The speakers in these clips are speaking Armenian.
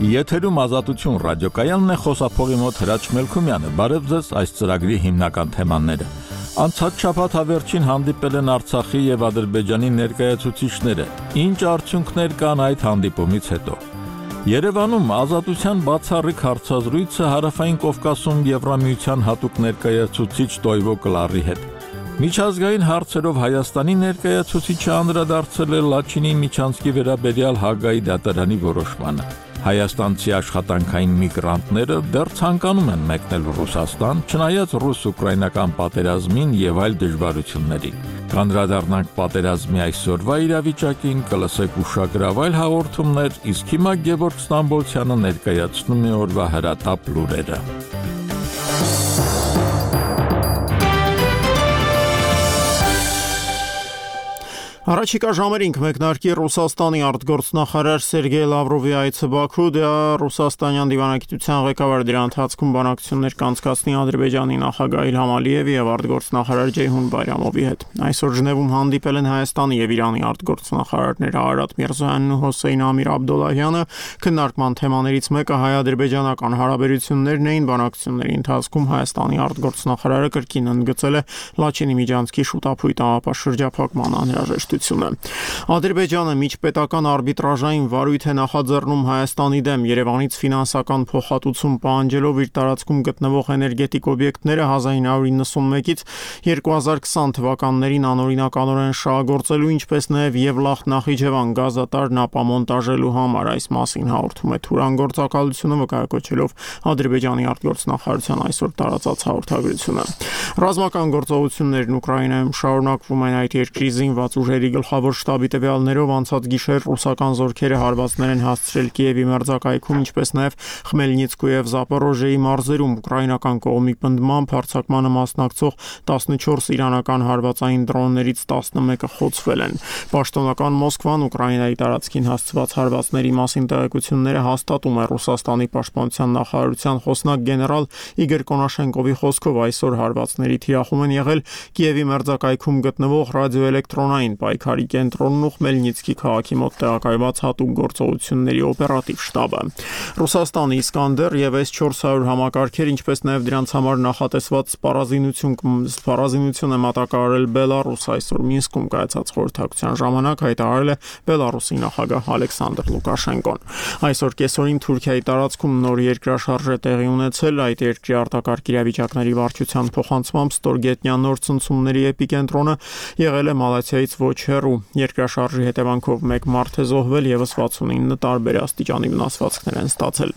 Եթերում Ազատություն ռադիոկայանն է, խոսափողի մոտ Հրաչ Մելքումյանը։ Բարև ձեզ, այս ծրագրի հիմնական թեմաները։ Անցած շաբաթ հավերժին հանդիպել են Արցախի եւ Ադրբեջանի ներկայացուցիչները։ Ինչ արդյունքներ կան այդ հանդիպումից հետո։ Երևանում Ազատության բացառիկ հարցազրույցը Հարավային Կովկասում Եվրամիության հատուկ ներկայացուցիչ Տոյվո Կլարի հետ։ Միջազգային հարցերով Հայաստանի ներկայացուցիչը անդրադարձել է Լաչինի Միչանսկի վերաբերյալ Հագայի դատարանի որոշմանը։ Հայաստանցի աշխատանքային միգրանտները դեռ ցանկանում են մեկնել Ռուսաստան, չնայած ռուս-ուկրաինական պատերազմին եւ այլ դժվարություններին։ Կանդրադառնանք պատերազմի այսօրվա իրավիճակին, կլսեք ուշագրավ այլ հաղորդումներ, իսկ հիմա Գևորգ Ստամբոլցյանը ներկայացնում է օրվա հրատապ լուրերը։ Առաջիկա ժամերին կմեկնարկի Ռուսաստանի արտգործնախարար Սերգեյ Լավրովի այցը Բաքու, դա ռուսաստանյան դիվանագիտության ղեկավար դրա ընթացքում բանակցություններ կանցկացնի Ադրբեջանի նախագահ Իլհամ Ալիևի եւ արտգործնախարար Ջեյհուն Բայրամովի հետ։ Այսօր Ժնևում հանդիպել են Հայաստանի եւ Իրանի արտգործնախարարները Արարատ Միրզոյանն ու Հոսեյն Ամիր Աբդոլլահյանը։ Քննարկման թեմաներից մեկը հայ-ադրբեջանական հարաբերություններն էին։ Բանակցությունների ընթացքում Հայաստանի արտգործնախարարը կրկին ընդգծել է Լաչինի Միջանցքի շուտափույթ ապաշրջափակման անհրաժեշտությունը։ Ադրբեջանը միջպետական արբիտրաժային վարույթ է նախաձեռնում Հայաստանի դեմ, Երևանից ֆինանսական փոխհատուցում պահանջելով իր տարածքում գտնվող էներգետիկ օբյեկտները 1991-ից 2020 թվականներին անօրինականորեն շահագործելու, ինչպես նաև Եվլախ Նախիջևան գազատարն ապամոնտաժելու համար։ Այս մասին հաղորդում է Թուրան գործակալությունը, վկայակոչելով Ադրբեջանի արտգործնախարարության այսօր տարածած հաղորդագրությունը։ Ռազմական գործողություններն Ուկրաինայում շարունակվում են այդ երկրի զինված ուժերի գլխավոր շտաբի տվյալներով անցած գիշեր ռուսական զորքերը հարվածներ են հասցրել Կիևի մերձակայքում, ինչպես նաև Խմելնիցկու եւ Զապորոժիեի մարզերում։ Ուկրաինական կողմի պնդմամբ հարձակմանը մասնակցող 14 իրանական հարվածային դրոններից 11-ը խոցվել են։ Պաշտոնական Մոսկվան Ուկրաինայի տարածքին հասցված հարվածների մասին տեղեկությունները հաստատում է Ռուսաստանի պաշտպանության նախարարության խոսնակ գեներալ Իգոր Կոնաշենկովի խոսքով այսօր հարվածների թիրախում են եղել Կիևի մերձակայքում գտնվող ռադիոէլեկտրոնային պայքարի կենտրոնն ու Խմելնիցկի քաղաքի մոտ տեղակայված հատուկ գործողությունների օպերատիվ շտաբը։ Ռուսաստանի Իսկանդեր եւ S-400 համակարգեր, ինչպես նաև դրանց համար նախատեսված սպառազինություն է մատակարարել Բելարուս։ Այսօր Մինսկում կայացած խորհրդակցության ժամանակ հայտարարել է Բելարուսի նախագահ Ալեքսանդր Լուկաշենկոն։ Այսօր կեսօրին Թուրքիայի տարածքում նոր երկրաշարժ է տեղի ունեցել։ Այդ երկրի արտակարգ իրավիճակների վարչության փոխանցմամբ ստորգետնյա նոր ցնցումների էպիկենտրոնը եղել է Մալաթիայից ոչ հեռու։ Երկրաշարժի հետևանքով 1 մարդ է զոհվել, եւս 69 տարբեր աստիճանի վնասվածքներ են ստացել։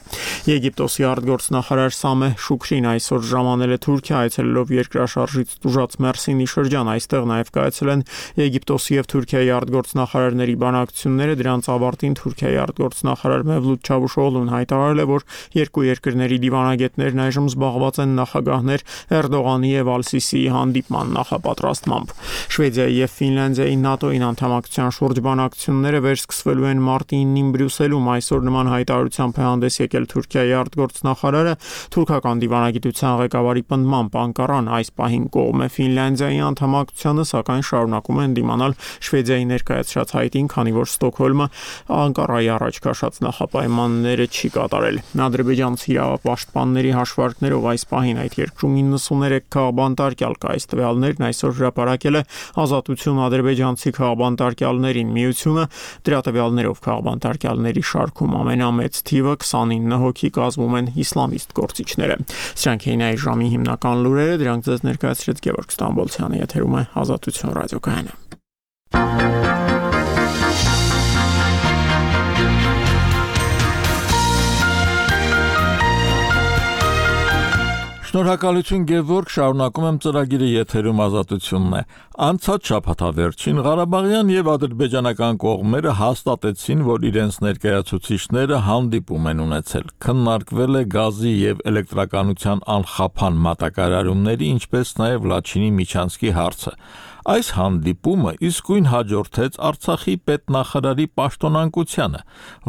Եգիպտոսի արտգործնախարար Սամեհ Շուքրին այսօր ժամանել է Թուրքիա, այցելելով երկրաշարժից տուժած Մերսինի շրջան։ Այստեղ նաև կայացել են Եգիպտոսի եւ Թուրքիայի արտգործնախարարների բանակցությունները։ Դրանց ավարտին Թուրքիայի արտգործնախարար Մևլութ Չավուշօղլուն հայտարարել է, որ երկու երկրների դիվանագետներն այժմ զբաղված են նախագահներ Էրդողանի եւ Ալ-Սիսիի հանդիպման նախապատրաստմամբ։ Շվեդիայի եւ Ֆինլանդիայի ՆԱՏՕ-ին անդամակցության շուրջ բանակցությունները վերսկսվելու են մարտի 9-ին Բրյուսելում։ Այսօր նման հայտարարությամբ է հանդես եկել Թուրքիայի արտգործնախարարը։ Թուրքական դիվանագիտության ղեկավարի պնդմամբ Անկարան այս պահին կողմ է Ֆինլանդիայի անդամակցությանը, սակայն շարունակում են դիմանալ Շվեդիայի ներկայացրած հայտին, քանի որ Ստոկհոլմը Անկարայի առաջ քաշած նախապայմանները չի կատարել։ Ադրբեջանցի իրավապաշտպանների հաշվարկներով այս պահին այդ երկրում 93 քաղբանտարկյալ կա։ Այս տվյալներն այսօր հրապարակել է Ազատություն ադրբեջանցի քաղբանտարկյալներին միությունը։ Դրա տվյալներով քաղբանտարկյալների շարքում ամենամեծ թիվը 29 հոգի կազմում են իսլամիստ գործիչները։ Սրանք էին այս ժամի հիմնական լուրերը, դրանք ձեզ ներկայացրեց Գևորգ Ստամբոլցյանը, եթերում է Ազատություն ռադիոկայանը։ Շնորհակալություն Գևորգ, շարունակում եմ ծրագիրը, եթերում Ազատությունն է։ Անցած շաբաթավերջին Ղարաբաղյան եւ ադրբեջանական կողմերը հաստատեցին, որ իրենց ներկայացուցիչները հանդիպում են ունեցել։ Քննարկվել է գազի եւ էլեկտրականության անխափան մատակարարումների, ինչպես նաեւ Լաչինի Միչանսկի հարցը։ Այս հանդիպումը իսկույն հաջորդեց Արցախի պետնախարարի պաշտոնանկությանը։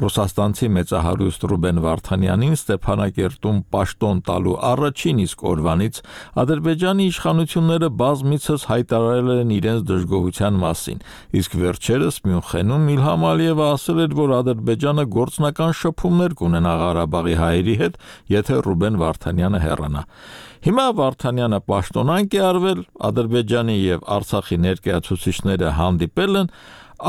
Ռուսաստանցի մեծահարուստ Ռուբեն Վարդանյանին Ստեփանակերտում պաշտոն տալու առաջին իսկ օրվանից Ադրբեջանի իշխանությունները բազմիցս հայտարարել են իրենց դժգոհության մասին, իսկ վերջերս Մյունխենում Իլհամ Ալիևը ասել էր, որ Ադրբեջանը գործնական շփումներ կունենա Ղարաբաղի հայերի հետ, եթե Ռուբեն Վարդանյանը հեռանա։ Հիմա Վարդանյանը պաշտոնանկ է արվել, Ադրբեջանի եւ Արցախի ներկայացուցիչները հանդիպել են,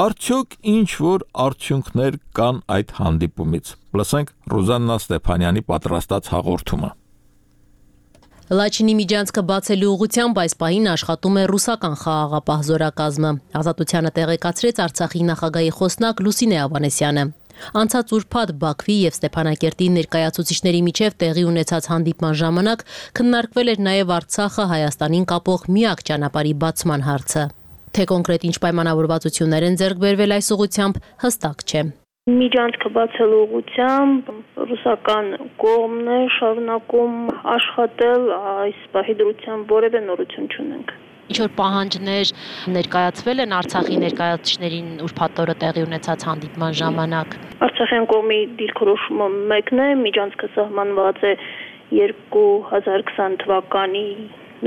արդյոք ինչ որ արդյունքներ կան այդ հանդիպումից։ Լսենք Ռուզաննա Ստեփանյանի պատրաստած հաղորդումը։ Լաչինի միջանցքը բացելու ուղղությամբ այս պահին աշխատում է ռուսական խաղաղապահ զորակազմը։ Ազատությանը տեղեկացրեց Արցախի նախագահի խոսնակ Լուսինե Ավանեսյանը։ Անցած ուրբաթ Բաքվի եւ Ստեփանակերտի ներկայացուցիչների միջև տեղի ունեցած հանդիպման ժամանակ քննարկվել էր նաեւ Արցախը Հայաստանին կապող միակ ճանապարհի բացման հարցը։ Թե կոնկրետ ինչ պայմանավորվածություններ են ձեռք բերվել այս ուղղությամբ, հստակ չէ։ Միջանցքը բացելու ուղղությամբ ռուսական կողմն է շարունակում աշխատել, այս պահի դրությամբ որևէ նորություն չունենք։ Ինչ-որ պահանջներ ներկայացվել են Արցախի ներկայացուցիչներին ուրբաթ օրը տեղի ունեցած հանդիպման ժամանակ։ Արցախյան կողմի դիրքորոշումը մեկն է, միջանցքը սահմանված է 2020 թվականի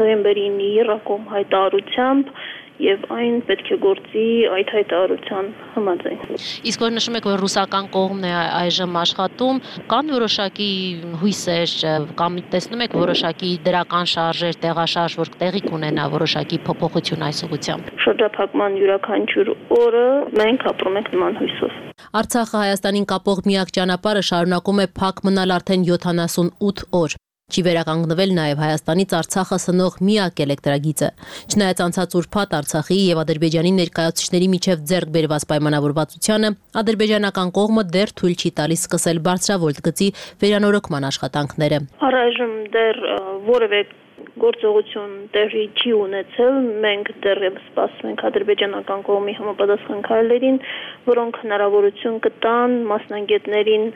նոյեմբերի 9-ին հայտարարությամբ եւ այն պետք է գործի այդ հայտարարության համաձայն։ Իսկ որ նշում եք, որ ռուսական կողմն է այժմ աշխատում, կան որոշակի հույսեր կամ տեսնում եք որոշակի դրական շարժեր, տեղաշարժ, որ տեղի կունենա որոշակի փոփոխություն այս ուղղությամբ։ Շրջափակման յուրաքանչյուր օրը մենք ապրում ենք նման հույսով։ Արցախը Հայաստանին կապող միակ ճանապարհը շարունակում է փակ մնալ արդեն 78 օր։ Չի վերականգնվել նաև Հայաստանից Արցախը սնող միակ էլեկտրագիծը։ Չնայած անցած ուրբաթ Արցախի եւ Ադրբեջանի ներկայացուցիչների միջև ձեռք բերված պայմանավորվածությանը, ադրբեջանական կողմը դեռ թույլ չի տալիս սկսել բարձրավոլտ գծի վերանորոգման աշխատանքները։ Առայժմ դեռ որևէ գործողություն տեղի չի ունեցել, մենք դեռևս սպասում ենք ադրբեջանական կողմի համապատասխան քայլերին, որոնք հնարավորություն կտան մասնագետներին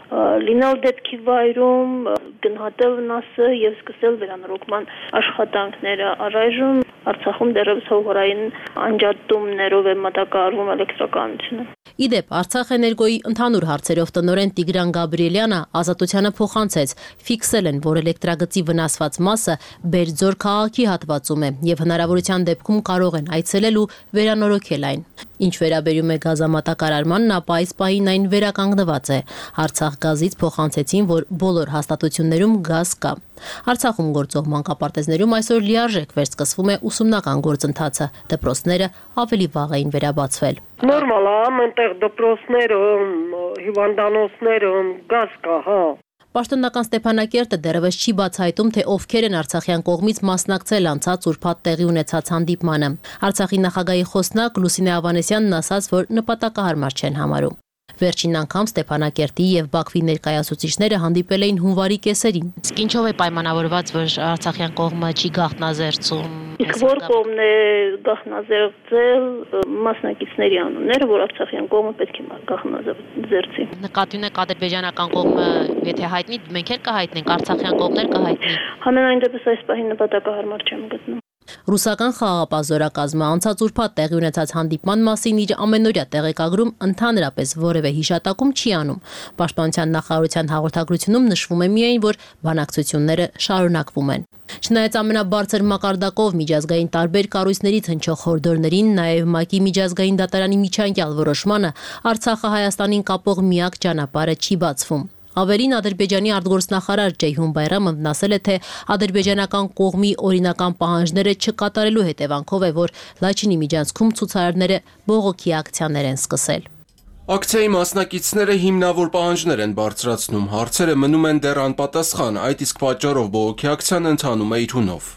լինել դեպքի վայրում, գնահատել վնասը եւ սկսել վերանորոգման աշխատանքները։ Առայժմ Արցախում դեռևս հողորային անջատումներով է մատակարարվում էլեկտրականությունը։ Իդեպ Արցախ էներգոյի ընդհանուր հարցերով տնօրեն Տիգրան Գաբրիելյանը Ազատությանը փոխանցեց, ֆիքսել են, որ էլեկտրագծի վնասված մասը Բերձոր քաղաքի հատվածում է եւ հնարավորության դեպքում կարող են այցելել ու վերանորոգել այն։ Ինչ վերաբերում է գազամատակարարմանն, ապա այս պահին այն վերականգնված է։ Արցախ գազից փոխանցեցին, որ բոլոր հաստատություններում գազ կա։ Արցախում գործող մանկապարտեզներում այսօր լիարժեք վերսկսվում է ուսումնական գործընթացը։ Դպրոցները ավելի վաղ էին վերաբացվել։ Նորմալ է, այնտեղ դպրոցներում, հիվանդանոցներում գազ կա, հա։ Պաշտոնական Ստեփանակերտը դեռևս չի բացահայտում, թե ովքեր են արցախյան կողմից մասնակցել անցած ուրբաթ տեղի ունեցած հանդիպմանը։ Արցախի նախագահի խոսնակ Լուսինե Ավանեսյանն ասաց, որ նպատակահարմար չեն համարում։ Վերջին անգամ Ստեփանակերտի եւ Բաքվի ներկայացուցիչները հանդիպել էին հունվարի կեսերին։ Իսկ ինչով է պայմանավորված, որ արցախյան կողմը չի գաղտնազերծում։ Իսկ որ կողմն է գաղտնազերծել մասնակիցների անունները, որ արցախյան կողմը պետք է գաղտնազերծի։ Նկատի ունեք ադրբեջանական կողմը, եթե հայտնի, մենք էլ կհայտնենք, արցախյան կողմներ կհայտնի։ Համենայն դեպս այս պահին նպատակահարմար չեմ գտնում։ Ռուսական խաղաղապահ զորակազմը անցած ուրբաթ տեղի ունեցած հանդիպման մասին իր ամենօրյա տեղեկագրում ընդհանրապես որևէ հիշատակում չի անում։ Պաշտպանության նախարարության հաղորդագրությունում նշվում է միայն, որ բանակցությունները շարունակվում են։ Չնայած ամենաբարձր մակարդակով միջազգային տարբեր կառույցներից հնչող հորդորներին, նաև ՄԱԿ-ի միջազգային դատարանի միջանկյալ որոշմանը, Արցախը Հայաստանին կապող միակ ճանապարհը չի բացվում։ Ավելին Ադրբեջանի արտգործնախարար Ջեյհուն Բայրամովն ասել է, թե ադրբեջանական կողմի օրինական պահանջները չկատարելու հետևանքով է, որ Լաչինի միջանցքում ցուցարարները բողոքի ակցիաներ են սկսել։ Ակցիայի մասնակիցները հիմնավոր պահանջներ են բարձրացնում, հարցերը մնում են դեռ անպատասխան, այդ իսկ պատճառով բողոքի ակցիան ընթանում է իր հունով։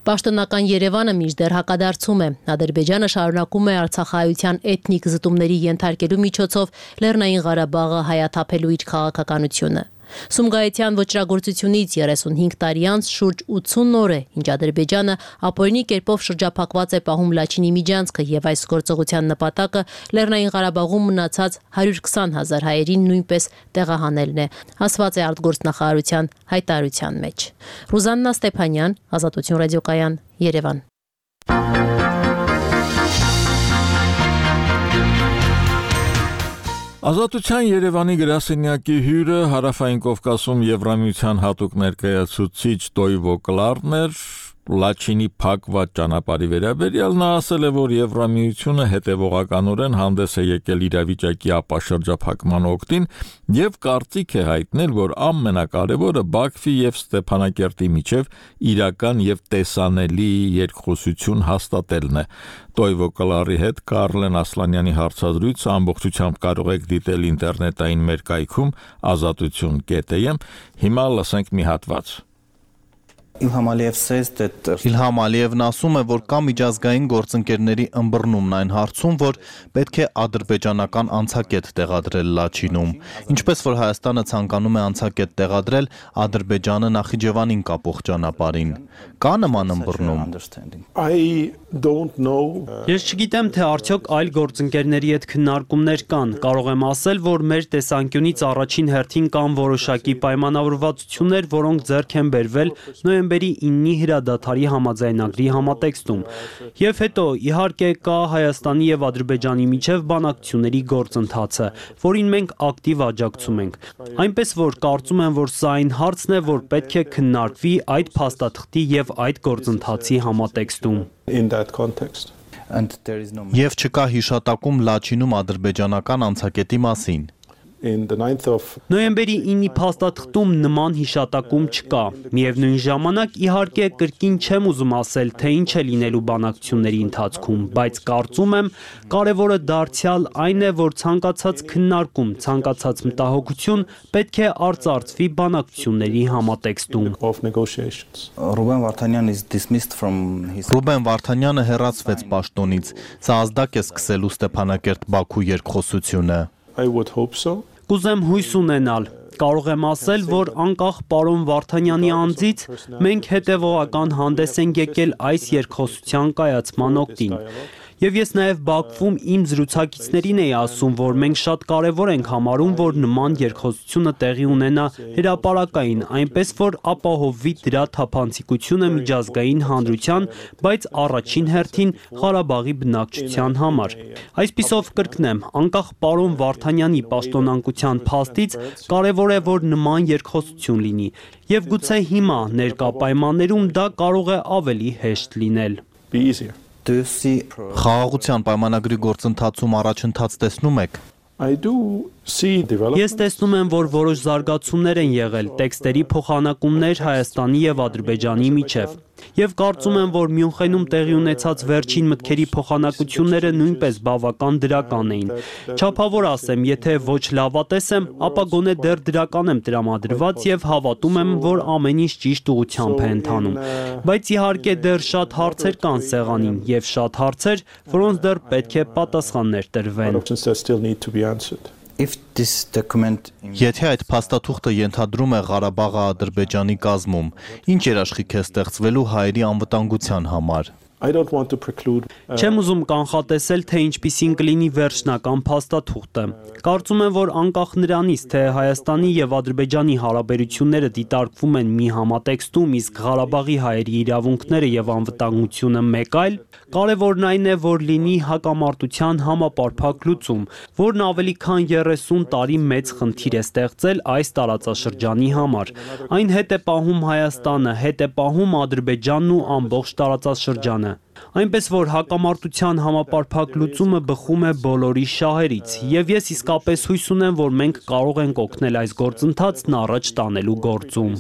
Պաշտոնական Երևանը մինչդեռ հակադարձում է։ Ադրբեջանը շարունակում է արցախահայության էթնիկ զտումների ենթարկելու միջոցով Լեռնային Ղարաբաղը հայաթափելու իր քաղաքականությունը։ Սումգայիթյան ոճրագործությունից 35 տարի անց շուրջ 80 օր է, ինչ Ադրբեջանը ապօրինի կերպով շրջափակված է պահում Լաչինի միջանցքը եւ այս գործողության նպատակը Լեռնային Ղարաբաղում մնացած 120,000 հայերին նույնպես տեղահանելն է, ասված է արտգործնախարարության հայտարարության մեջ։ Ռուզաննա Ստեփանյան, Ազատություն ռադիոկայան, Երևան։ Ազատության Երևանի գրասենյակի հյուրը Հարավային Կովկասում Եվրամիության հատուկ ներկայացուցիչ Տոյվո Կլարն էր, Լաչինի փակված ճանապարհի վերաբերյալ նա ասել է, որ Եվրամիությունը հետևողականորեն հանդես է եկել իրավիճակի ապաշրջափակման օգտին եւ կարծիք է հայտնել, որ ամենակարևորը Բաքվի եւ Ստեփանակերտի միջև իրական եւ տեսանելի երկխոսություն հաստատելն է։ Տոյվո Կլարի հետ Կարլեն Ասլանյանի հարցազրույցը ամբողջությամբ կարող եք դիտել ինտերնետային մեր կայքում azatutun.am։ Հիմա լսենք մի հատված։ Իլհամ Ալիևն ասում է, որ կա միջազգային գործընկերների ըմբռնումն այն հարցում, որ պետք է ադրբեջանական անցակետ տեղադրել Լաչինում։ Ինչպես որ Հայաստանը ցանկանում է անցակետ տեղադրել Ադրբեջանը Նախիջևանին կապող ճանապարհին։ Կա նման ըմբռնում։ Ես չգիտեմ, թե արդյոք այլ գործընկերների հետ քննարկումներ կան։ Կարող եմ ասել, որ մեր տեսանկյունից առաջին հերթին կան որոշակի պայմանավորվածություններ, որոնք ձեռք են բերվել նոյեմբերի 9-ի հրադադարի համաձայնագրի համատեքստում։ Եվ հետո, իհարկե, կա Հայաստանի եւ Ադրբեջանի միջև բանակցությունների գործընթացը, որին մենք ակտիվ աջակցում ենք։ Այնպես որ կարծում եմ, որ սա այն հարցն է, որ պետք է քննարկվի այդ փաստաթղթի եւ այդ գործընթացի համատեքստում։ Եվ չկա հիշատակում Լաչինում ադրբեջանական անցակետի մասին։ Նոյեմբերի 9-ի փաստաթղթում նման հիշատակում չկա։ Միևնույն ժամանակ, իհարկե, կրկին չեմ ուզում ասել, թե ինչ է լինելու բանակցությունների ընթացքում, բայց կարծում եմ, կարևորը դարձյալ այն է, որ ցանկացած քննարկում, ցանկացած մտահոգություն պետք է արծարծվի բանակցությունների համատեքստում։ Ռուբեն Վարդանյանը հեռացվեց պաշտոնից։ Սա ազդակ է սկսելու Ստեփանակերտ-Բաքու երկխոսությունը։ Կուզեմ հույս ունենալ։ Կարող եմ ասել, որ անկախ պարոն Վարդանյանի անձից մենք հետևողական հանդես ենք եկել այս երկխոսության կայացման օգտին։ Եվ ես նաև Բաքվում իմ զրուցակիցներին էի ասում, որ մենք շատ կարևոր ենք համարում, որ նման երկխոսությունը տեղի ունենա հրապարակային, այնպես որ ապահովվի դրա թափանցիկությունը միջազգային հանրության, բայց առաջին հերթին Ղարաբաղի բնակչության համար։ Այսպիսով կրկնեմ, անկախ պարոն Վարդանյանի պաշտոնանկության փաստից կարևոր է, որ նման երկխոսություն լինի, եւ գուցե հիմա ներկա պայմաններում դա կարող է ավելի հեշտ լինել։ Խաղաղության պայմանագրի գործընթացում առաջընթաց տեսնում եք։ Ես տեսնում եմ, որ որոշ զարգացումներ են եղել, տեքստերի փոխանակումներ Հայաստանի եւ Ադրբեջանի միջև։ Եվ կարծում եմ, որ Մյունխենում տեղի ունեցած վերջին մտքերի փոխանակությունները նույնպես բավական դրական էին։ Չափավոր ասեմ, եթե ոչ լավատես եմ, ապա գոնե դեռ դրական եմ տրամադրված եւ հավատում եմ, որ ամեն ինչ ճիշտ ուղղությամբ է ընթանում։ Բայց իհարկե դեռ շատ հարցեր կան սեղանին եւ շատ հարցեր, որոնց դեռ պետք է պատասխաններ տրվեն։ Եթե այդ փաստաթուղթը ենթադրում է Ղարաբաղը Ադրբեջանի կազմում, ինչ երաշխիք է ստեղծվելու հայերի անվտանգության համար։ Չեմ ուզում կանխատեսել, թե ինչպիսին կլինի վերջնական փաստաթուղթը։ Կարծում եմ, որ անկախ նրանից, թե Հայաստանի եւ Ադրբեջանի հարաբերությունները դիտարկվում են մի համատեքստում, իսկ Ղարաբաղի հայերի իրավունքները եւ անվտանգությունը մեկ այլ, կարևորն այն է, որ լինի հակամարտության համապարփակ լուծում, որն ավելի քան 30 տարի մեծ խնդիր է ստեղծել այս տարածաշրջանի համար։ Այն հետ է պահում Հայաստանը, հետ է պահում Ադրբեջանն ու ամբողջ տարածաշրջանը։ Այնպես որ հակամարտության համապարփակ լուծումը բխում է բոլորի շահերից, եւ ես իսկապես հույս ունեմ, որ մենք կարող ենք օգնել այս գործընթացն առաջ տանելու գործում։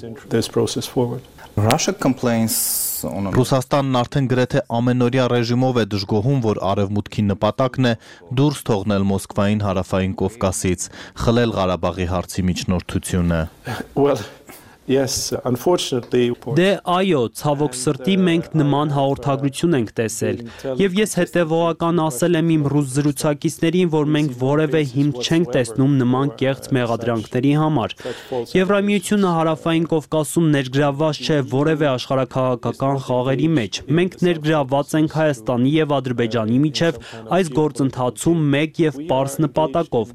Ռուսաստանն արդեն գրեթե ամենօրյա ռեժիմով է դժգոհում, որ Արևմուտքի նպատակն է դուրս թողնել Մոսկվային Հարավային Կովկասից, խլել Ղարաբաղի հարցի միջնորդությունը։ Դե այո, ցավոք սրտի մենք նման հաղորդագրություն ենք տեսել, եւ ես հետեւողական ասել եմ իմ ռուս զրուցակիցներին, որ մենք որևէ հիմք չենք տեսնում նման կեղծ մեղադրանքների համար։ Եվրամիությունը Հարավային Կովկասում ներգրավված չէ որևէ աշխարհաքաղաքական խաղերի մեջ։ Մենք ներգրավված ենք Հայաստանի եւ Ադրբեջանի միջև այս գործընթացում մեկ եւ պարզ նպատակով,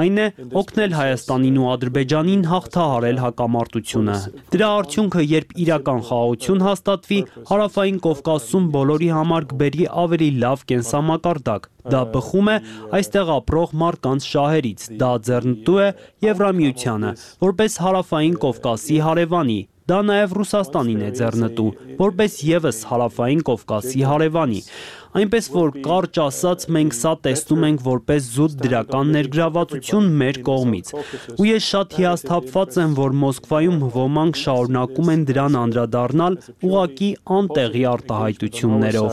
այն է օգնել Հայաստանին ու Ադրբեջանին հաղթահարել հակամարտությունը։ Ռուսաստանը։ Դրա արդյունքը, երբ իրական խաղաղություն հաստատվի, Հարավային Կովկասում բոլորի համար կբերի ավելի լավ կենսամակարդակ։ Դա բխում է այստեղ ապրող մարդկանց շահերից, դա ձեռնտու է Եվրամիությանը, որպես Հարավային Կովկասի հարևանի։ Դա նաև Ռուսաստանին է ձեռնտու, որպես եւս Հարավային Կովկասի հարևանի։ Այնպես որ կարճ ասած մենք սա տեսնում ենք որպես զուտ դրական ներգրավվածություն մեր կողմից։ Ու ես շատ հիասթափված եմ, որ Մոսկվայում ոմանք շարունակում են դրան անդրադառնալ ուղղակի անտեղի արտահայտություններով։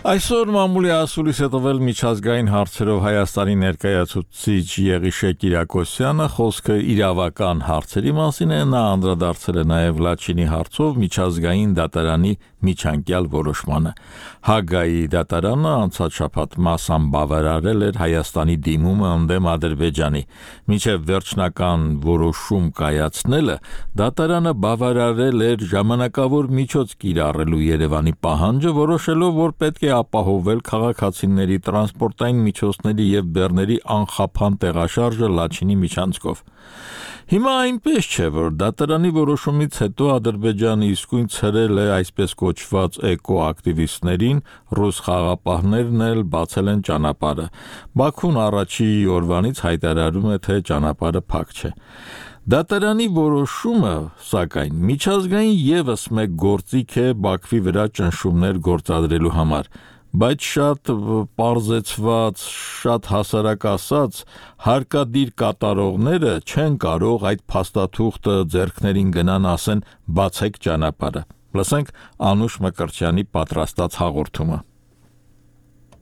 Այսօր մամուլի ասուլիս է տվել միջազգային հարցերով Հայաստանի ներկայացուցիչ Եղիշե Կիրակոսյանը, խոսքը իրավական հարցերի մասին է, նա անդրադարձել է նաև Լաչինի հարցով միջազգային դատարանի միջանկյալ որոշմանը։ Հագայի դատարանը անցած շաբաթ մասամբ բավարարել էր Հայաստանի դիմումը ընդդեմ Ադրբեջանի։ Մինչև վերջնական որոշում կայացնելը դատարանը բավարարել էր ժամանակավոր միջոց կիրառելու Երևանի պահանջը, որոշելով, որ պետք է ապահովել քաղաքացիների տրանսպորտային միջոցների եւ բեռների անխափան տեղաշարժը Լաչինի միջանցքով։ Հիմա այնպես չէ, որ դատարանի որոշումից հետո Ադրբեջանը իսկույն ցրել է այսպես կոչված էկոակտիվիստներին, ռուս խաղապահներն էլ բացել են ճանապարհը։ Բաքուն առաջի օրվանից հայտարարում է, թե ճանապարհը փակ չէ։ Դատարանի որոշումը, սակայն, միջազգային եւս մեկ գործիք է Բաքվի վրա ճնշումներ գործադրելու համար, բայց շատ պարզեցված, շատ հասարակ ասած, հարկադիր կատարողները չեն կարող այդ փաստաթուղթը ձեռքներին գնան ասեն բացեք ճանապարհը։ Լսենք Անուշ Մկրտչյանի պատրաստած հաղորդումը։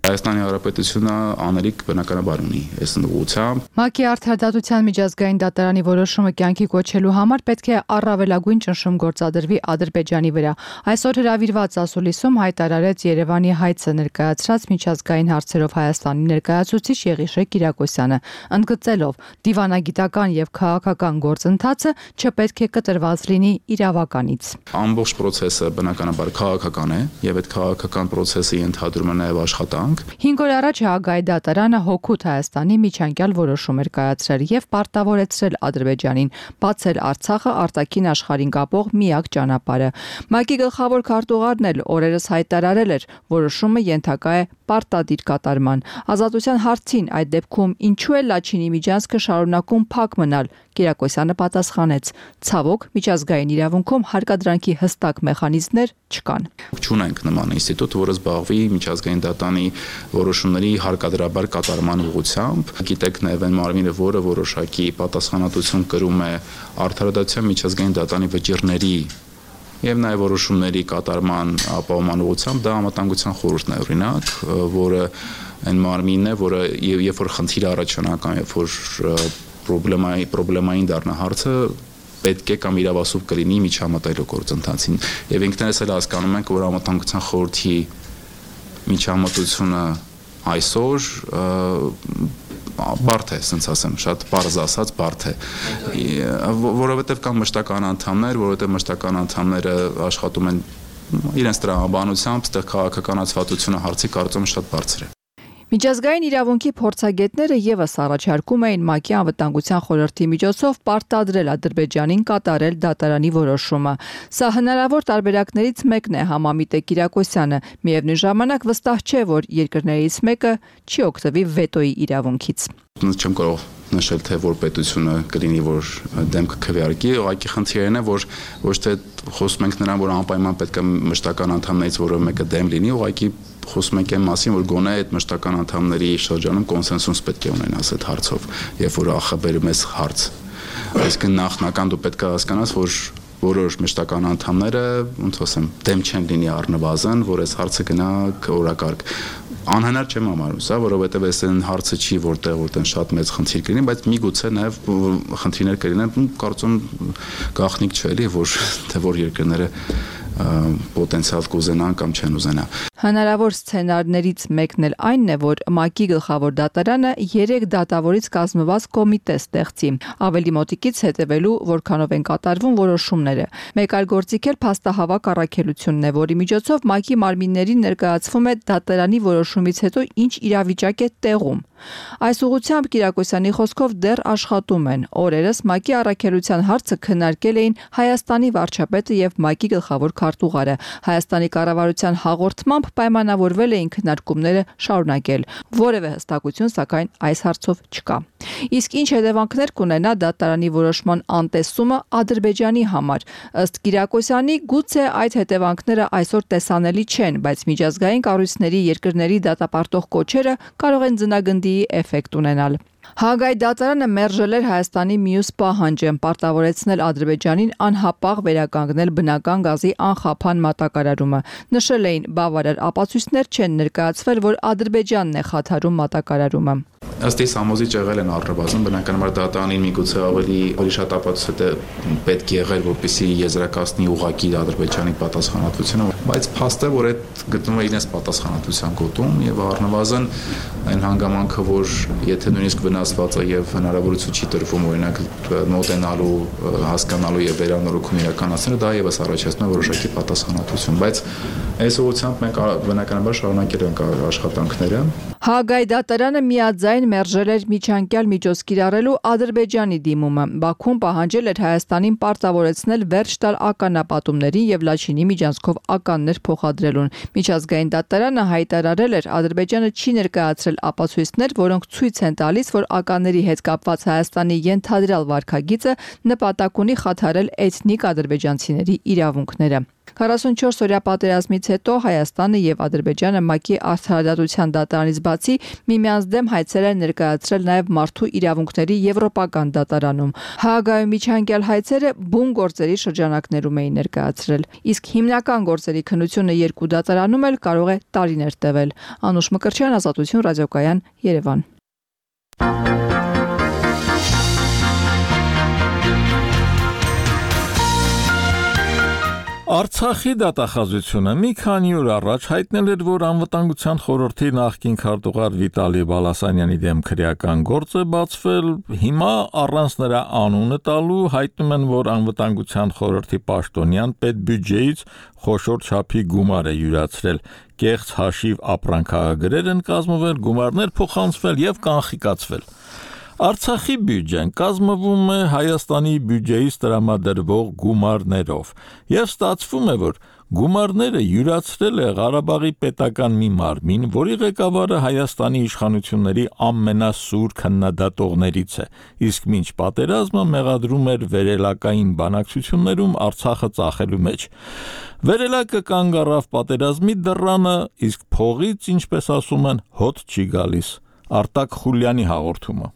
Հայաստանի Հանրապետությունը անելիք բնականաբար ունի այս ուղղությամբ։ ՄԱԿ-ի արդարադատության միջազգային դատարանի որոշումը կյանքի կոչելու համար պետք է առավելագույն ճնշում գործադրվի Ադրբեջանի վրա։ Այսօր հրավիրված ասուլիսում հայտարարեց Երևանի հայցը ներկայացրած միջազգային հարցերով Հայաստանի ներկայացուցիչ Եղիշե Կիրակոսյանը, ընդգծելով դիվանագիտական եւ քաղաքական գործընթացը չպետք է կտրված լինի իրավականից։ Ամբողջ process-ը բնականաբար քաղաքական է եւ այդ քաղաքական process-ը ենթադրում է նաեւ աշխատանք։ 5 օր առաջ Հագայի դատարանը հօգուտ Հայաստանի միջանկյալ որոշում էր կայացրել եւ պարտավորեցրել Ադրբեջանին բացել Արցախը արտաքին աշխարհին կապող միակ ճանապարհը։ ՄԱԿ-ի գլխավոր քարտուղարն էլ օրերս հայտարարել էր, որոշումը ենթակա է պարտադիր կատարման։ Ազատության հարցին այդ դեպքում ինչու է Լաչինի միջանցքը շարունակում փակ մնալ, Կիրակոսյանը պատասխանեց. ցավոք, միջազգային իրավունքում հարկադրանքի հստակ մեխանիզմներ չկան։ Չունենք նման ինստիտուտ, որը զբաղվի միջազգային դատարանի որոշումների հարկադրաբար կատարման ուղղությամբ։ Գիտեք նաև այն մարմինը, որը որոշակի պատասխանատվություն կրում է արդարադատության միջազգային դատարանի վճիռների եւ նաեւ որոշումների կատարման ապահովման ուղղությամբ, դա անվտանգության խորհուրդն է օրինակ, որը այն մարմինն է, որը երբ որ խնդիր առաջանա կամ երբ որ պրոբլեմային դառնա հարցը, պետք է կամ իրավասու կլինի միջամտայլու գործընթացին։ Եվ ինքներս էլ հասկանում ենք, որ անվտանգության խորհրդի միջամտությունը այսօր բարդ է, ասենց ասեմ, շատ պարզ ասած բարդ է, որովհետև կան մշտական անդամներ, որովհետև մշտական անդամները աշխատում են իրենց տրամաբանությամբ, այդտեղ քաղաքականացվածությունը հարցի կարծում շատ բարձր է։ Միջազգային իրավունքի փորձագետները եւս առաջարկում էին ՄԱԿ-ի անվտանգության խորհրդի միջոցով պարտադրել Ադրբեջանին կատարել դատարանի որոշումը։ Սա հնարավոր տարբերակներից մեկն է, համամիտ է Կիրակոսյանը, միևնույն ժամանակ վստահ չէ, որ երկրներից մեկը չի օգտվի վետոյի իրավունքից։ Չեմ կարող նշել, թե որ պետությունը կլինի, որ դեմ կքվեարկի, ուղղակի խնդիրն է, որ ոչ թե խոսում ենք նրան, որ անպայման պետք է մշտական անդամներից որևէ մեկը դեմ լինի, ուղղակի խոսում ենք այն մասին, որ գոնե այդ մշտական անդամների շրջանում կոնսենսուս պետք է ունենաս այդ հարցով, երբ որ ախաբերում ես հարց։ Այսինքն նախնական դու պետք է հասկանաս, որ որոշ մշտական անդամները, ոնց ասեմ, դեմ չեն լինի առնվազն, որ այս հարցը գնա օրակարգ։ Անհնար չեմ համարում սա, որովհետև այս հարցը չի որտեղ շատ մեծ խնդիր կլինի, բայց միգուցե նաև խնդիրներ կլինեն, կարծում գաղտնիք չէ էլի, որ թե որ երկրները պոտենցիալ կուզենան կամ չեն ուզենա։ Հնարավոր սցենարներից մեկն էլ այն է, որ ՄԱԿ-ի գլխավոր դատարանը 3 դատավորից կազմված կոմիտե ստեղծի, ավելի մոտիկից հետևելու, որքանով են կատարվում որոշումները։ Մեկ այլ գործիք էլ փաստահավաք առաքելությունն է, որի միջոցով ՄԱԿ-ի մարմիններին ներկայացվում է դատարանի որոշումից հետո ինչ իրավիճակ է տեղում։ Այս ուղղությամբ Կիրակոսյանի խոսքով դեռ աշխատում են։ Օրերս ՄԱԿ-ի առաքելության հարցը քննարկել էին Հայաստանի վարչապետը եւ ՄԱԿ-ի գլխավոր քարտուղարը։ Հայաստանի կառավարության հաղորդմամբ պայմանավորվել էին քննարկումները շարունակել։ Որևէ հստակություն, սակայն, այս հարցով չկա։ Իսկ ինչ հետևանքներ կունենա դատարանի որոշման անտեսումը Ադրբեջանի համար։ Ըստ Կիրակոսյանի, գուցե այդ հետևանքները այսօր տեսանելի չեն, բայց միջազգային կառույցների երկրների դատապարտող կոչերը կարող են ձնագնդի էֆեկտ ունենալ։ Հաագայի դատարանը մերժել էր Հայաստանի մյուս պահանջը պարտավորեցնել Ադրբեջանին անհապաղ վերականգնել բնական գազի անխափան մատակարարումը։ Նշել էին, բավարար ապացույցներ չեն ներկայացվել, որ Ադրբեջանն է խաթարում մատակարարումը։ Ըստ իս համոզիչ եղել են առնվազն բնականաբար դատարանին միգուցե ավելի շատ ապացույց պետք է եղել, որպեսզի եզրակացնի ուղղակի Ադրբեջանի պատասխանատվությունը, բայց փաստ է, որ այդ գտնվում է իրենց պատասխանատվության գոտում եւ առնվազն այն հանգամանքը, որ եթե նույնիսկ վնասվածը եւ հնարավորություն չի տրվում օրինակ մոտենալու, հասկանալու եւ վերանորոգում իրականացնելը, դա եւս առաջացնում է որոշակի պատասխանատվություն, բայց այս ուղղությամբ մենք բնականաբար շարունակել ենք աշխատանքները։ Հաագայի դատարանը միաձայն մերժել էր միջանկյալ միջոց կիրառելու Ադրբեջանի դիմումը։ Բաքուն պահանջել էր Հայաստանին պարտավորեցնել վերջ տալ ականապատումներին եւ Լաչինի միջանցքով ականներ փոխադրելուն։ Միջազգային դատարանը հայտարարել էր, Ադրբեջանը չի ներկայացրել ապացույցներ, որոնք ցույց են տալիս, որ ականների հետ կապված Հայաստանի ենթադրյալ վարքագիծը նպատակ ունի խաթարել էթնիկ ադրբեջանցիների իրավունքները։ 44 օրյա պատերազմից հետո Հայաստանը եւ Ադրբեջանը ՄԱԿ-ի արդարադատության դատարանից բացի միմյանց դեմ հայցեր են ներկայացրել նաեւ մարդու իրավունքների եվրոպական դատարանում։ Հաագայում միջանկյալ հայցերը բուն գործերի շրջանակներում էին ներկայացրել, իսկ հիմնական գործերի քննությունը երկու դատարանում էլ կարող է տարիներ տևել։ Անուշ Մկրտչյան, Ազատություն, ռադիոկայան, Երևան։ Արցախի դատախազությունը մի քանի օր առաջ հայտնել էր, որ անվտանգության խորհրդի նախկին քարտուղար Վիտալի Բալասանյանի դեմ քրեական գործ է բացվել, հիմա առանց նրա անունը տալու հայտնում են, որ անվտանգության խորհրդի պաշտոնյան պետբյուջեից խոշոր չափի գումար է յուրացրել, կեղծ հաշիվ ապրանքահագրեր են կազմվել, գումարներ փոխանցվել եւ կանխիկացվել։ Արցախի բյուջեն կազմվում է Հայաստանի բյուջեից տրամադրվող գումարներով եւ ստացվում է, որ գումարները յուրացրել է Ղարաբաղի պետական մի մարմին, որի ղեկավարը Հայաստանի իշխանությունների ամենասուր քննադատողներից է, իսկ մինչ պատերազմը մեղադրում էր վերելակային բանակցություններում Արցախը ծախելու մեջ։ Վերելակը կանգ առավ պատերազմի դռանը, իսկ փողից, ինչպես ասում են, հոտ չի գալիս։ Արտակ Խուլյանի հաղորդումը։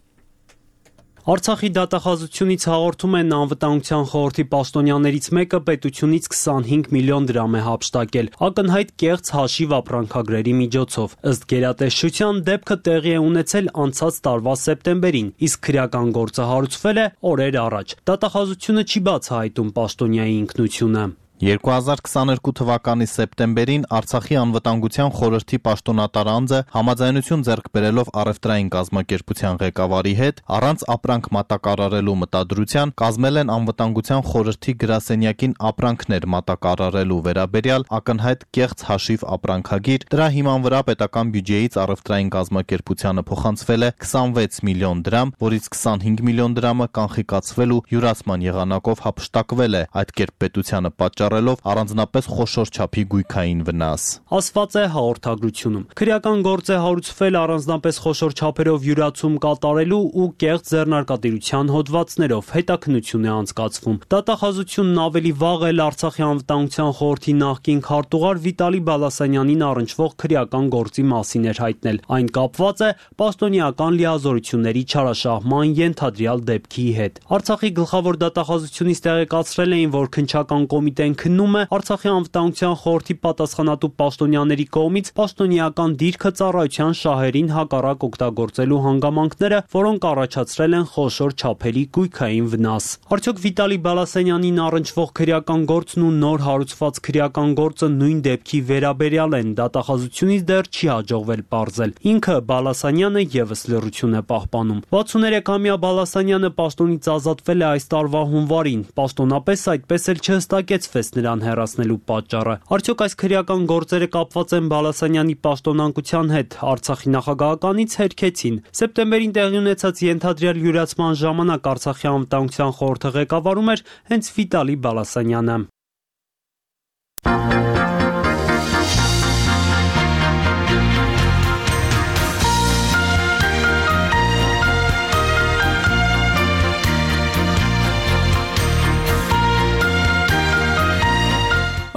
Արցախի դատախազությունից հաղորդում են անվտանգության խորհրդի պաշտոնյաներից մեկը պետությունից 25 միլիոն դրամ է հափշտակել, ակնհայտ կեղծ հաշիվ ապրանքագրերի միջոցով։ Ըստ գերատեսչության դեպքը տեղի է ունեցել անցած տարվա սեպտեմբերին, իսկ քրեական գործը հարուցվել է օրեր առաջ։ Դատախազությունը չի բացահայտում պաշտոնյայի ինքնությունը։ 2022 թվականի սեպտեմբերին Արցախի անվտանգության խորհրդի պաշտոնատար անձը համաձայնություն ձեռք բերելով առևտրային կազմակերպության ղեկավարի հետ առանց ապրանք մատակարարելու մտադրության կազմել են անվտանգության խորհրդի գրասենյակին ապրանքներ մատակարարելու վերաբերյալ ակնհայտ կեղծ հաշիվ ապրանքագիր, դրա հիման վրա պետական բյուջեից առևտրային կազմակերպությանը փոխանցվել է 26 միլիոն դրամ, որից 25 միլիոն դրամը կանխիկացվել ու յուրացման եղանակով հափշտակվել է, այդ կերպ պետությանը պատճառելով առանձնապես խոշոր չափի գույքային վնաս։ Ասված է հաղորդագրությունում։ Քրեական գործ է հարուցվել առանձնապես խոշոր չափերով յուրացում կատարելու ու կեղծ ձեռնարկատիրության հոդվածներով, հետաքննություն է անցկացվում։ Դատախազությունն ավելի վաղ էլ Արցախի անվտանգության խորհրդի նախկին քարտուղար Վիտալի Բալասանյանին առնչվող քրեական գործի մասին էր հայտնել։ Այն կապված է պաշտոնեական լիազորությունների չարաշահման ենթադրյալ դեպքի հետ։ Արցախի գլխավոր դատախազությունից տեղեկացրել էին, որ քննչական կոմիտեն քննում է Արցախի անվտանգության խորհրդի պատասխանատու պաշտոնյաների կողմից պաշտոնեական դիրքը ծառայության շահերին հակառակ օգտագործելու հանգամանքները, որոնք առաջացրել են խոշոր չափերի գույքային վնաս։ Արդյոք Վիտալի Բալասանյանին առնչվող քրեական գործն ու նոր հարուցված քրեական գործը նույն դեպքի վերաբերյալ են, դատախազությունից դեռ չի հաջողվել պարզել։ Ինքը Բալասանյանը եւս լռություն է պահպանում։ 63-ամյա Բալասանյանը պաշտոնից ազատվել է այս տարվա հունվարին, պաշտոնապես այդպես էլ չհստակեցվեց նրան հեռացնելու պատճառը։ Արդյոք այս քրեական գործերը կապված են Բալասանյանի պաշտոնանկության հետ, Արցախի նախագահականից հերքեցին։ Սեպտեմբերին տեղի ունեցած ենթադրյալ յուրացման ժամանակ Արցախի անվտանգության խորհրդը ղեկավարում էր հենց Վիտալի Բալասանյանը։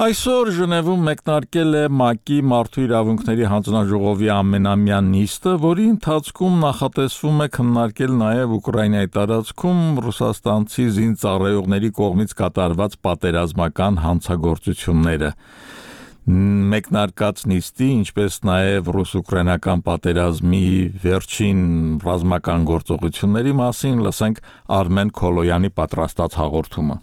Այսօր Ժնևում մեկնարկել է ՄԱԿ-ի Մարդու իրավունքների հանձնաժողովի ամենամյա նիստը, որի ընթացքում նախատեսվում է քննարկել նաև Ուկրաինայի տարածքում ռուսաստանցի զինծառայողների կողմից կատարված պատերազմական հանցագործությունները։ Մեկնարկած նիստի, ինչպես նաև ռուս-ուկրաինական պատերազմի վերջին ռազմական գործողությունների մասին լսենք Արմեն Քոլոյանի պատրաստած հաղորդումը։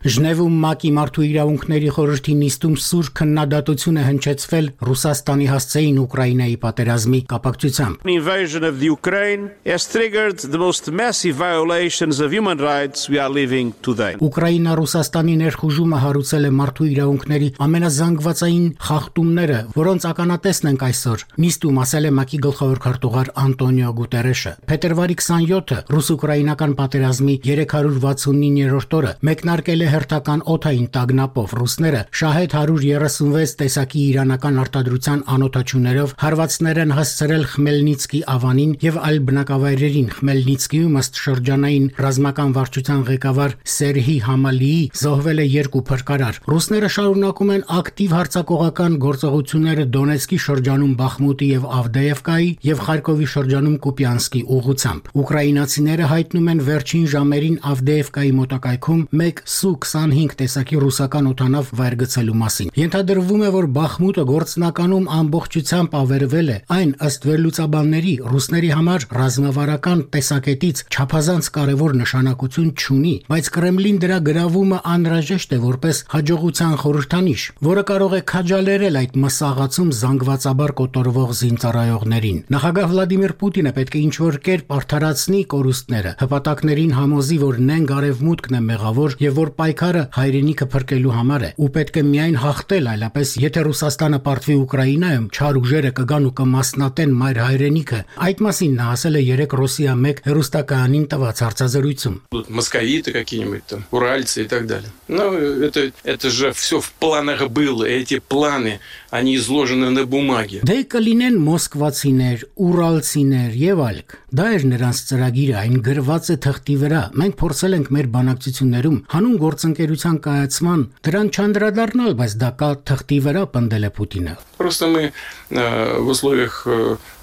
Ժնևում ՄԱԿ-ի Մարդու իրավունքների խորհրդի նիստում սուր քննադատություն է հնչեցվել Ռուսաստանի հասցեին Ուկրաինայի պատերազմի կապակցությամբ։ Invasion of the Ukraine has triggered the most massive violations of human rights we are living today. Ուկրաինա-Ռուսաստանի ներխուժումը հարուցել է մարդու իրավունքների ամենազանգվածային խախտումները, որոնց ականատեսն ենք այսօր։ Նիստում ասել է ՄԱԿ-ի գլխավոր քարտուղար Անտոնիո Գուտերեշը։ Փետրվարի 27-ը ռուս-ուկրաինական պատերազմի 369-րդ օրը մեկնարկել է հերթական օդային տագնապով ռուսները շահեդ 136 տեսակի իրանական արտադրության անօդաչուներով հարվածներ են հասցրել Խմելնիցկի ավանին եւ այլ բնակավայրերին։ Խմելնիցկիում ըստ շրջանային ռազմական վարչության ղեկավար Սերհի Համալիի զոհվել է 2 փրկարար։ Ռուսները շարունակում են ակտիվ հարձակողական գործողությունները Դոնեցկի շրջանում Բախմուտի եւ Ավդեևկայի եւ Խարկովի շրջանում Կուպյանսկի ուղղությամբ։ Ուկրաինացիները հայտնում են վերջին ժամերին Ավդեևկայի մոտակայքում 1 Su-25 տեսակի ռուսական օդանավ վայր գցելու մասին։ Ենթադրվում է, որ Բախմուտը գործնականում ամբողջությամբ ավերվել է, այն ըստ վերլուծաբանների ռուսների համար ռազմավարական տեսակետից չափազանց կարևոր նշանակություն չունի, բայց Կրեմլին դրա գրավումը անհրաժեշտ է որպես հաջողության խորհրդանիշ, որը կարող է քաջալերել այդ մսաղացում զանգվածաբար կոտորվող զինծառայողներին։ Նախագահ Վլադիմիր Պուտինը պետք է ինչ-որ կերպ արդարացնի կորուստները, հպատակներին համոզի, որ նենգ արևմուտքն է մեղավոր եւ որ պայքարը հայրենիքը փրկելու համար է ու պետք է միայն հաղթել, այլապես եթե Ռուսաստանը պարտվի Ուկրաինայում, չար ուժերը կգան ու կմասնատեն մայր հայրենիքը։ Այդ մասին նա ասել է 3 Ռոսիա 1 հեռուստակայանին տված հարցազրույցում։ Մոսковиты какие-нибудь там, уральцы и так далее. Ну, это же все в планах было, эти планы, они изложены на бумаге. Դե կլինեն մոսկվացիներ, ուրալցիներ եւ այլք։ Դա էր նրանց ծրագիրը, այն գրված է թղթի վրա։ Մենք փորձել ենք մեր բանակցություններում հանուն գործընկերության կայացման դրան չանդրադառնալ, բայց դա կա թղթի вера пնդել է Պուտինը։ Просто мы в условиях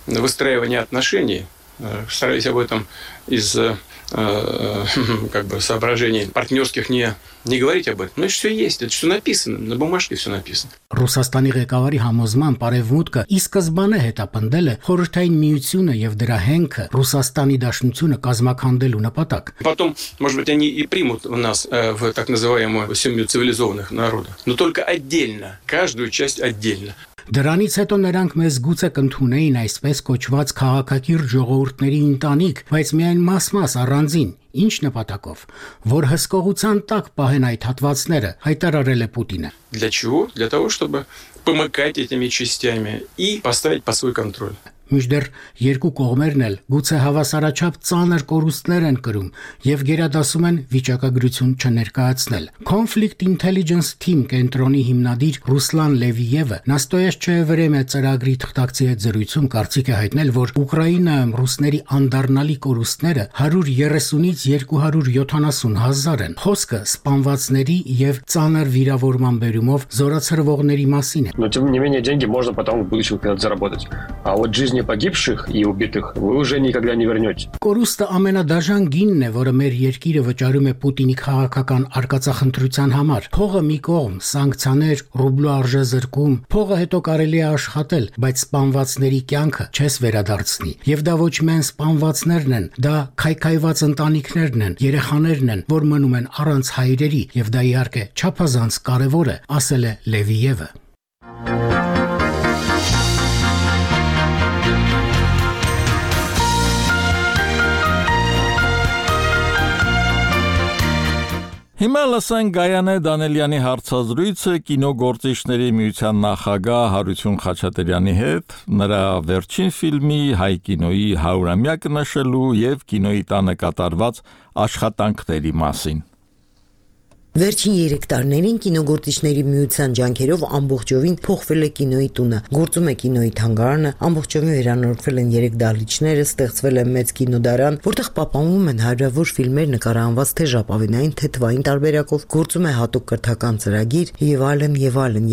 выстраивания отношений старались об этом из соображений партнерских не говорить об этом. Но это все есть, это все написано, на бумажке все написано. Ռուսաստանի ղեկավարի համոզմամբ Արևմուտքը ի սկզբանե հետապնդել է Խորհրդային Միությունը եւ դրա հենքը Ռուսաստանի Դաշնությունը կազմակերպելու նպատակ։ Потом, может быть, они и примут нас в так называемую семью цивилизованных народов, но только отдельно, каждую часть отдельно. Դրանից հետո նրանք մեզ գուցե կընդունեին այսպես կոչված քաղաքակիրթ ժողովուրդների ընտանիք, բայց միայն մաս-մաս առանձին, ինչ նպատակով, որ հսկողության տակ պահեն այդ հատվածները, հայտարարել է Պուտինը։ Для чего? Для того, чтобы помыкать этими частями и поставить под свой контроль. Մինչդեռ երկու կողմերն էլ գուցե հավասարաչափ ծանր կորուստներ են կրում եւ գերադասում են վիճակագրություն չներկայացնել։ Conflict Intelligence Team կենտրոնի հիմնադիր Ռուսլան Լևիևը Նաստոյեշչեվրեմե ծրագրի թղթակցի հետ զրույցում կարծիք է հայտնել, որ Ուկրաինայում ռուսների անդառնալի կորուստները 130-ից 270 հազար են։ Խոսքը սպանվածների եւ ծանր վիրավորման բերումով զորացրվողների մասին է։ Но тем не менее деньги можно потом в будущем когда-то заработать. А вот жизни сотни погибших и убитых вы уже никогда не вернете. Կորուստը ամենադաժան գինն է, որը մեր երկիրը վճարում է Պուտինի քաղաքական արկածախնդրության համար։ Փողը մի կողմ, սանկցիաներ, ռուբլու արժեզրկում, փողը հետո կարելի է աշխատել, բայց սպանվածների կյանքը չես վերադարձնի։ Եվ դա ոչ միայն սպանվածներն են, դա քայքայված ընտանիքներն են, երեխաներն են, որ մնում են առանց հայրերի, եւ դա իհարկե չափազանց կարևոր է, ասել է Լևիևը։ Հիմա լսենք Գայանե Դանելյանի հարցազրույցը կինոգործիչների միության նախագահ Հարություն Խաչատրյանի հետ, նրա վերջին ֆիլմի հայ կինոյի 100-ամյակը նշելու եւ կինոյի տանը կատարված աշխատանքների մասին։ Վերջին 3 տարիներին կինոգործիչների միության ջանքերով ամբողջովին փոխվել է կինոյի տունը, գործում է կինոյի թանգարանը, ամբողջովին վերանորոգվել են 3 դահլիճները, ստեղծվել է մեծ կինոդարան, որտեղ պահպանվում են հարյուրավոր ֆիլմեր նկարահանված թե ժապավենային, թե թվային տարբերակով, գործում է հատուկ կրթական ծրագիր եւ այլն,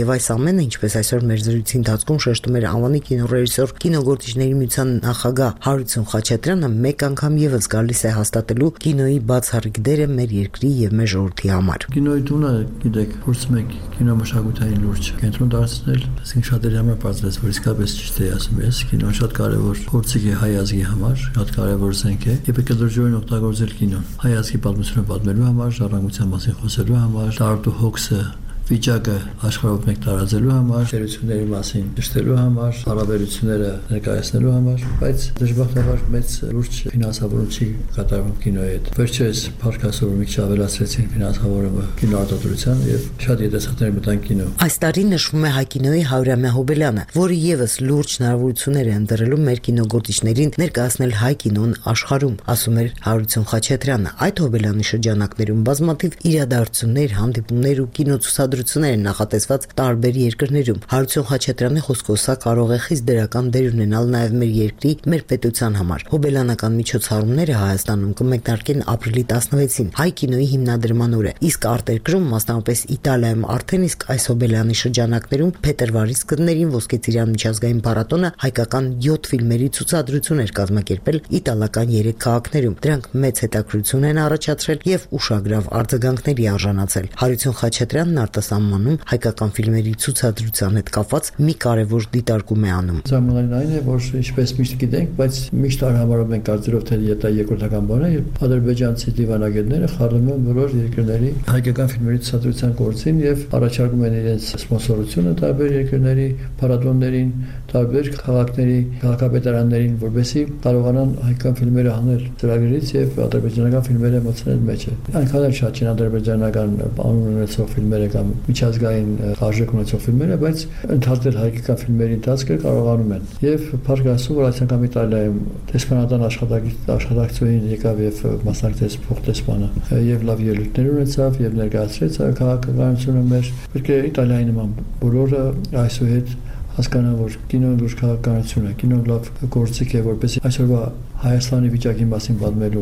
եւ այս ամենը, ինչպես այսօր մեր զրույցի ընթացքում շեշտում էր անվանի կինոռեժիսոր, կինոգործիչների միության նախագահ Հարություն Խաչատրյանը, մեկ անգամ եւս գալիս է հաստատելու կինոյի բացառիկ դերը մեր երկրի եւ մեր ժողովրդի համար։ Կինոյի տունը, գիտեք, փորձում եք կինոմշակութային լուրջ կենտրոն դարձնել, այսինքն շատերի համար բացվեց, որ իսկապես ճիշտ է ասում ես, կինոն շատ կարևոր փորձիկ է հայ ազգի համար, շատ կարևոր զենք է, եւ պետք է դրժորեն օգտագործել կինոն։ Հայ ազգի պատմությունը պատմելու համար, ժառանգության մասին խոսելու համար, տարբեր հոգսը վիճակը աշխարհով մեկ տարածելու համար, շերությունների մասին ճշտելու համար, հարաբերությունները ներկայացնելու համար, բայց դժբախտաբար մեծ լուրջ ֆինանսավորում չի կատարվում կինոյի հետ։ Վերջերս փառքասորում մի քիչ ավելացրեցին ֆինանսավորումը կինոարտադրության եւ շատ յետեսակներ մտան կինո։ Այս տարի նշվում է հայ կինոյի 100-ամյա հոբելյանը, որը եւս լուրջ հնարավորություններ է ընտրելու մեր կինոգործիչներին ներկայացնել հայ կինոն աշխարհում, ասում էր Հարություն Խաչատրյանը։ Այդ հոբելյանի շրջանակներում բազմաթիվ իրադարձություններ, հանդիպումներ ու կինոցուցադրություններ են նախատեսված տարբեր երկրներում։ Հարություն Խաչատրյանի խոսքով սա կարող է խիստ դրական դեր ունենալ նաև մեր երկրի, մեր պետության համար։ Հոբելյանական միջոցառումները Հայաստանում կմեկնարկեն ապրիլի 16-ին, հայ կինոյի հիմնադրման օրը, իսկ արտերկրում, մասնավորապես Իտալիայում, արդեն իսկ այս հոբելյանի շրջանակներում փետրվարի սկզբներին Ոսկե Ծիրան միջազգային փառատոնը հայկական 7 ֆիլմերի ցուցադրություն էր կազմակերպել իտալական 3 քաղաքներում։ Դրանք մեծ հետաքրքրություն են առաջացրել եւ ուշագրավ արձագանքների արժանացել։ Հարություն Խաչատրյանն արտասահմանում հայկական ֆիլմերի ցուցադրության հետ կապված մի կարևոր դիտարկում է անում։ Զարմանալին այն է, որ ինչպես միշտ գիտենք, բայց միշտ արհամարում ենք կարծրով թե դա երկրորդական բան է, եւ ադրբեջանցի դիվանագետները խառնում են բոլոր երկրների հայկական ֆիլմերի ցուցադրության գործին եւ առաջարկում են իրենց սպոնսորությունը տարբեր երկրների փառատոներին, տարբեր քաղաքների քաղաքապետարաններին, որովհետեւ կարողանան հայկական ֆիլմերը հանել ծրագրից եւ ադրբեջանական ֆիլմերը մտցնել մեջը։ Այնքան էլ շատ չեն ադրբեջանական անուն ունեցող ֆիլմերը կամ միջազգային արժեք ունեցող ֆիլմերը, բայց ընդհանրել հայկական ֆիլմերի ընթացքը կարողանում են։ Եվ փառք Աստծո, որ այս անգամ Իտալիայում դեսպանատան աշխատակցուհին եկավ եւ մասնակցեց փոխտեսպանը եւ լավ ելույթներ ունեցավ եւ ներկայացրեց քաղաքականությունը մեր։ Պետք է Իտալիայի նման բոլորը այսուհետ հասկանան, որ կինոն լուրջ քաղաքականություն է, կինոն լավ գործիք է, որպեսզի այսօրվա Հայաստանի վիճակի մասին պատմելու,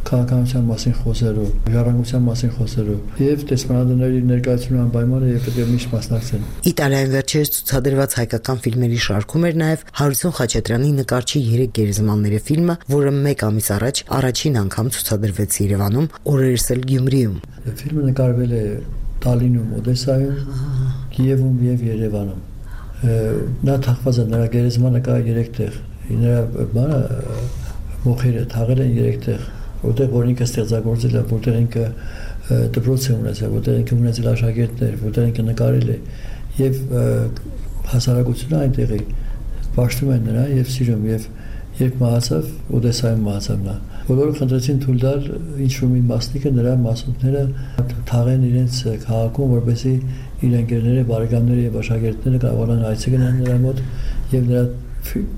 քաղաքականության մասին խոսելու, ժառանգության մասին խոսելու եւ դեսպանատների ներկայացումը անպայման է եւ պետք է միշտ մասնակցեն։ Իտալիայում վերջերս ցուցադրված հայկական ֆիլմերի շարքում էր նաեւ Հարություն Խաչատրյանի նկարչի 3 գերեզմանների ֆիլմը, որը 1 ամիս առաջ առաջին անգամ ցուցադրվեց Երևանում, օրերս էլ Գյումրիում։ Ֆիլմը նկարվել է Տալինում, Օդեսայում, Կիևում եւ Երևանում։ Նա թաղված է, նրա գերեզմանը կա 3 տեղ, նրա բանը մոխերը թաղել են 3 տեղ, որտեղ որ ինքը ստեղծագործել է, որտեղ ինքը դպրոց է ունեցել, որտեղ ինքը ունեցել աշակերտներ, որտեղ ինքը նկարել է եւ հասարակությունը այնտեղի պաշտում են նրա եւ սիրում եւ երբ մահացավ, Օդեսայում մահացավ նա։ Բոլորը խնդրեցին թույլ տալ ինչ-որ մի մասնիկը նրա մասունքները թաղեն իրենց քաղաքում, որպեսզի իր ընկերները, բարեկամները եւ աշակերտները կարողանան այցելել նրա մոտ եւ նրա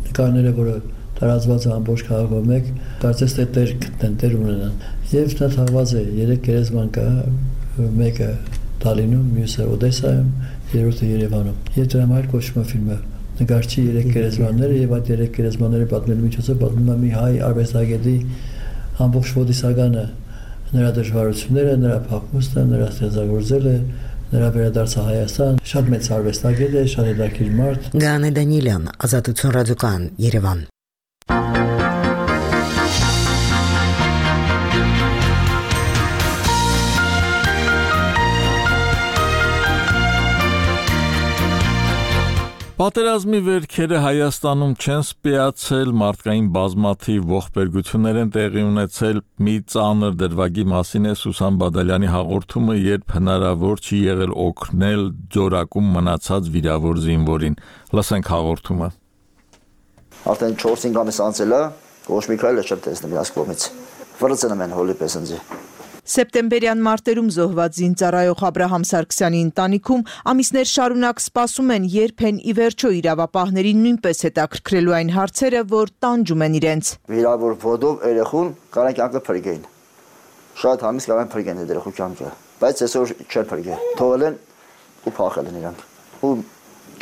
նկարները, որը տարածված է ամբողջ քաղաքում մեկ, կարծես թե տեր գտնեն, տեր ունենան։ Եվ նա թաղված է 3 գերեզման կա, մեկը Տալինում, մյուսը Օդեսայում, երրորդը Երևանում։ Եվ դրա համար կոչվում է ֆիլմը նկարչի 3 գերեզմանները եւ այդ 3 գերեզմանները պատմելու միջոցով պատմում է մի հայ արվեստագետի ամբողջ ոդիսականը, նրա դժվարությունները, նրա փախուստը, նրա ստեղծագործելը, նրա վերադարձը Հայաստան, շատ մեծ արվեստագետ է, շատ հետաքրքիր մարդ։ Գանե Դանիելյան, Ազատություն ռադիոկայան, Երևան։ Պատերազմի վերքերը Հայաստանում չեն սպիացել, մարդկային բազմաթիվ ողբերգություններ են տեղի ունեցել, մի ծանր դրվագի մասին է Սուսան Բադալյանի հաղորդումը, երբ հնարավոր չի եղել օգնել ձորակում մնացած վիրավոր զինվորին։ Լսենք հաղորդումը։ Արդեն 4-5 ամիս անցել է, ոչ մի քայլ չեմ տեսնում իրաց կողմից։ Վրձնում են հոլի պես ինձ։ Սեպտեմբերյան մարտերում զոհված զինծառայող Աբրահամ Սարգսյանի ընտանիքում ամիսներ շարունակ սպասում են, երբ են ի վերջո իրավապահներին նույնպես հետաքրքրելու այն հարցերը, որ տանջում են իրենց։ Վիրավոր ոտով երեխուն կարան կյանքը փրկեին։ Շատ համից կարան փրկեն այդ երեխու կյանքը, բայց այսօր չեն փրկել։ Թողել են ու փախել են իրանք։ Ու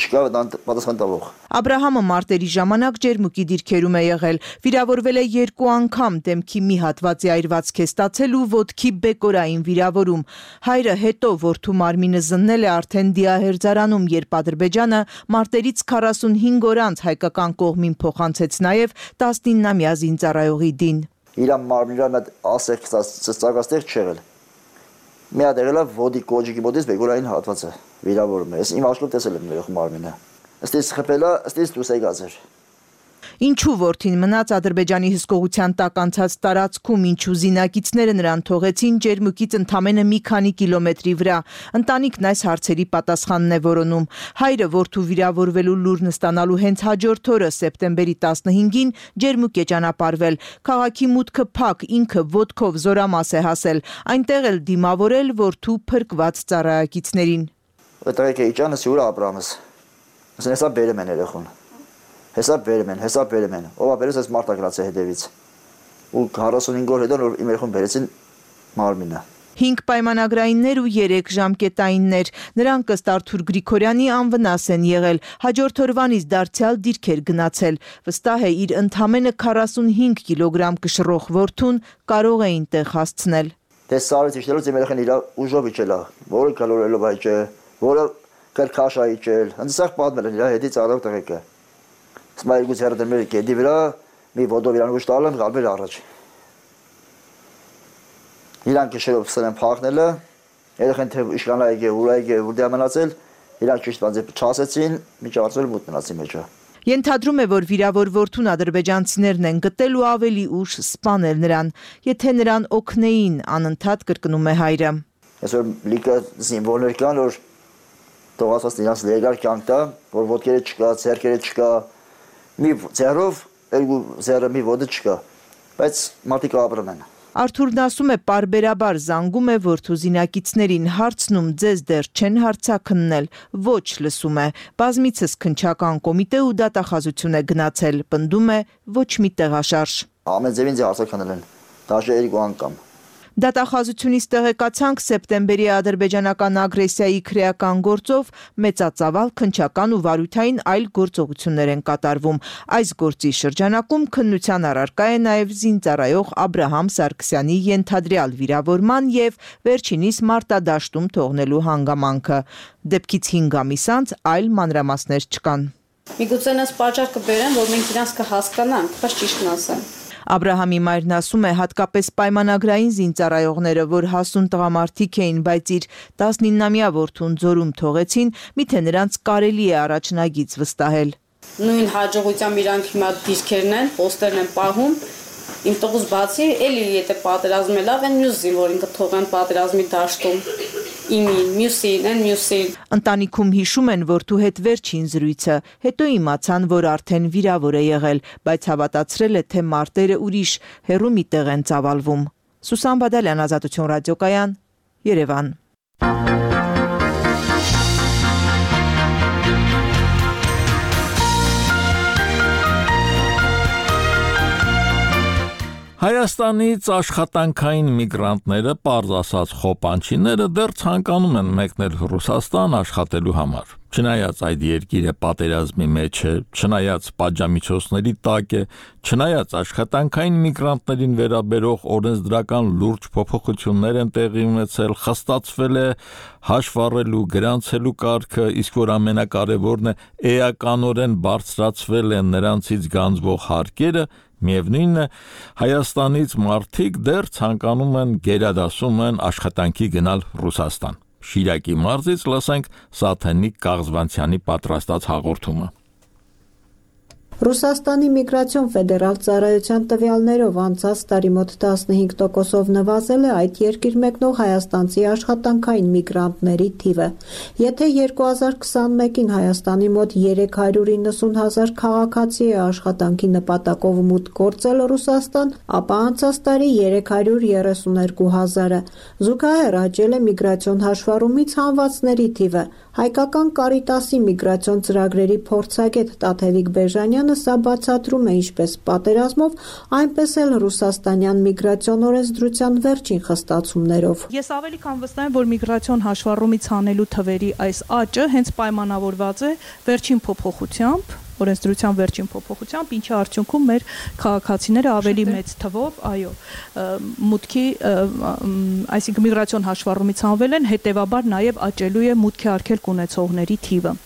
չկա պատասխան տվող։ Աբրահամը մարտերի ժամանակ ջերմուկի դիրքերում է եղել, վիրավորվել է 2 անգամ, դեմքի մի հատվածի այրվածք է ստացել ու ոտքի բեկորային վիրավորում։ Հայրը հետո որդու մարմինը զննել է արդեն դիահերձարանում, երբ Ադրբեջանը մարտերից 45 օր անց հայկական կողմին փոխանցեց նաև 19-ամյա զինծառայողի դին։ Իրան մարմինը մեծ ասեք ծածկաստեղ չեղել։ Մի հատ եղել է ոտի կոջիկի մոտից բեկորային հատվածը վիրավորում է։ Ես իմ աշխով տեսել եմ երեխու մարմինը։ Ըստից խփելա, ըստից դուրս եկած էր։ Ինչու որդին մնաց Ադրբեջանի հսկողության տակ անցած տարածքում, ինչու զինակիցները նրան թողեցին ջերմուկից ընդամենը մի քանի կիլոմետրի վրա։ Ընտանիքն այս հարցերի պատասխանն է որոնում։ Հայրը որդու վիրավորվելու լուրն ստանալու հենց հաջորդ օրը սեպտեմբերի 15-ին ջերմուկ է ճանապարհվել։ Քաղաքի մուտքը փակ, ինքը ոտքով զորամաս է հասել, այնտեղ էլ դիմավորել որդու փրկված ծառայակիցներին։ Այդտեղ է իջանը սյուր Աբրամս։ Ասեն հեսա բերեմ են երեխուն։ Հեսա բերեմ են։ Ով ապերես այս մարտա գրած է հետևից։ Ու 45 օր հետո որ իմ երեխուն բերեցին մարմինը։ 5 պայմանագրայիններ ու 3 ժամկետայիններ։ Նրանք ըստ Արթուր Գրիգորյանի անվնաս են եղել։ Հաջորդ օրվանից դարձյալ դիրքեր գնացել։ Վստահ է իր ընդամենը 45 կիլոգրամ կշռող որդուն կարող էին տեղ հասցնել։ Դե սարից իջնելուց իմ երեխան իր ուժով իջել է, որը կալորելով այճ է, որը կրկաշա իջել։ Հենց պատմել են իր հետից արավ տղեկը։ Սմա երկու ձեռը դրել էր գեդի վրա, մի ոտով իրան ուժ տալ են, գալվել առաջ։ Իրան կշերով սկսել են փախնելը, երեխան թե իշխանա եկե, ուրա եկե, որտեղ մնացել, իրան ճիշտ բանձե չասեցին, միջև արծել մուտ մնացի մեջը։ Ենթադրում է, որ վիրավոր որդուն ադրբեջանցիներն են գտել ու ավելի ուշ սպանել նրան։ Եթե նրան օգնեին, անընդհատ կրկնում է հայրը։ Այսօր լիքը զինվորներ կան, որ թողածված նրանց լեգալ կյանք տա, որ ոտքերը չկա, ձեռքերը չկա, մի ձեռով, երկու ձեռը մի ոտը չկա, բայց մարդիկ ապրում են։ Արթուրն ասում է պարբերաբար զանգում է որդու զինակիցներին, հարցնում ձեզ դեռ չեն հարցաքննել, ոչ լսում է, բազմիցս քննչական կոմիտե ու դատախազություն է գնացել, պնդում է ոչ մի տեղաշարժ։ Ամեն ձևին ձե հարցաքննել են, դաշը 2 անգամ։ Դատախազությունից տեղեկացանք սեպտեմբերի ադրբեջանական ագրեսիայի քրեական գործով մեծածավալ քննչական ու վարույթային այլ գործողություններ են կատարվում։ Այս գործի շրջանակում քննության առարկա է նաև զինծառայող Աբրահամ Սարգսյանի ենթադրյալ վիրավորման եւ վերջինիս մարտադաշտում թողնելու հանգամանքը։ Դեպքից 5 ամիս անց այլ մանրամասներ չկան։ Միգուցե նրանց պատճառ կբերեն, որ մենք իրանց կհասկանանք, բայց ճիշտն ասեմ։ Աբրահամի մայրն ասում է, հատկապես պայմանագրային զինծառայողները, որ հասուն տղամարդիկ էին, բայց իր 19-ամյա որդուն ձորում թողեցին, միթե նրանց կարելի է առաջնագիծ վստահել։ Նույն հաջողությամբ իրանք հիմա դիրքերն են, պոստերն են պահում, իմ տղուց բացի, էլի եթե պատերազմը լավ են, մյուս զինվորին կթողեն պատերազմի դաշտում։ Իմին, մյուսին։ Ընտանիքում հիշում են որդու հետ վերջին զրույցը, հետո իմացան, որ արդեն վիրավոր է եղել, բայց հավատացրել է, թե մարտերը ուրիշ հեռու մի տեղ են ծավալվում։ Սուսան Բադալյան, Ազատություն ռադիոկայան, Երևան։ Հայաստանից աշխատանքային միգրանտները, պարզ ասած խոպանչիները, դեռ ցանկանում են մեկնել Ռուսաստան աշխատելու համար։ Չնայած այդ երկիրը պատերազմի մեջ է, չնայած պատժամիջոցների տակ է, չնայած աշխատանքային միգրանտներին վերաբերող օրենսդրական լուրջ փոփոխություններ են տեղի ունեցել, խստացվել է հաշվառելու, գրանցելու կարգը, իսկ որ ամենակարևորն է, էականորեն բարձրացվել են նրանցից գանձվող հարկերը, միևնույնն է, Հայաստանից մարդիկ դեռ ցանկանում են, գերադասում են աշխատանքի գնալ Ռուսաստան։ Շիրակի մարզից լսենք Սաթենիկ Կաղզվանցյանի պատրաստած հաղորդումը։ Ռուսաստանի միգրացիոն ֆեդերալ ծառայության տվյալներով անցած տարի մոտ 15%-ով նվազել է այդ երկիր մեկնող հայաստանցի աշխատանքային միգրանտների թիվը։ Եթե 2021-ին Հայաստանի մոտ 390,000 քաղաքացի է աշխատանքի նպատակով մուտք գործել Ռուսաստան, ապա անցած տարի 332,000-ը։ Զուգահեռ աճել է միգրացիոն հաշվառումից հանվածների թիվը։ Հայկական Կարիտասի միգրացիոն ծրագրերի փորձագետ Տաթևիկ Բեժանյանը սա բացատրում է ինչպես պատերազմով, այնպես էլ ռուսաստանյան միգրացիոն օրենսդրության վերջին խստացումներով։ Ես ավելի քան վստահ եմ, որ միգրացիոն հաշվառումից հանելու թվերի այս աճը հենց պայմանավորված է վերջին փոփոխությամբ, օրենսդրության վերջին փոփոխությամբ, ինչի արդյունքում մեր քաղաքացիները ավելի մեծ թվով, մուտքի, այսինքն միգրացիոն հաշվառումից հանվել են, հետևաբար նաև աճելու է մուտքի արգելք ունեցողների թիվը։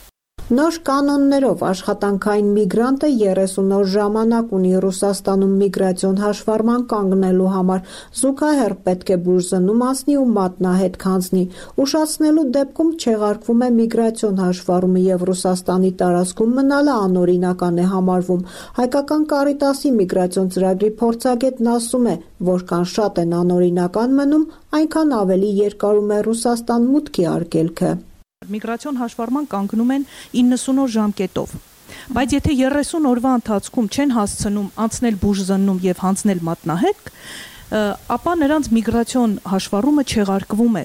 Նոր կանոններով աշխատանքային միգրանտը 30 օր ժամանակ ունի Ռուսաստանում միգրացիոն հաշվառման կանգնելու համար, զուգահեռ պետք է բուժզննում անցնի ու մատնահետ քանձնի։ Ուշացնելու դեպքում չեղարկվում է միգրացիոն հաշվառումը եւ Ռուսաստանի տարածքում մնալը անօրինական է համարվում։ Հայկական Կարիտասի միգրացիոն ծրագրի փորձագետն ասում է, որքան շատ են անօրինական մնում, այնքան ավելի երկարում է Ռուսաստան մուտքի արգելքը։ Միգրացիոն հաշվառման կանգնում են 90 օր ժամկետով, բայց եթե 30 օրվա ընթացքում չեն հասցնում անցնել բուժզննում եւ հանձնել մատնահետք, ապա նրանց միգրացիոն հաշվառումը չեղարկվում է։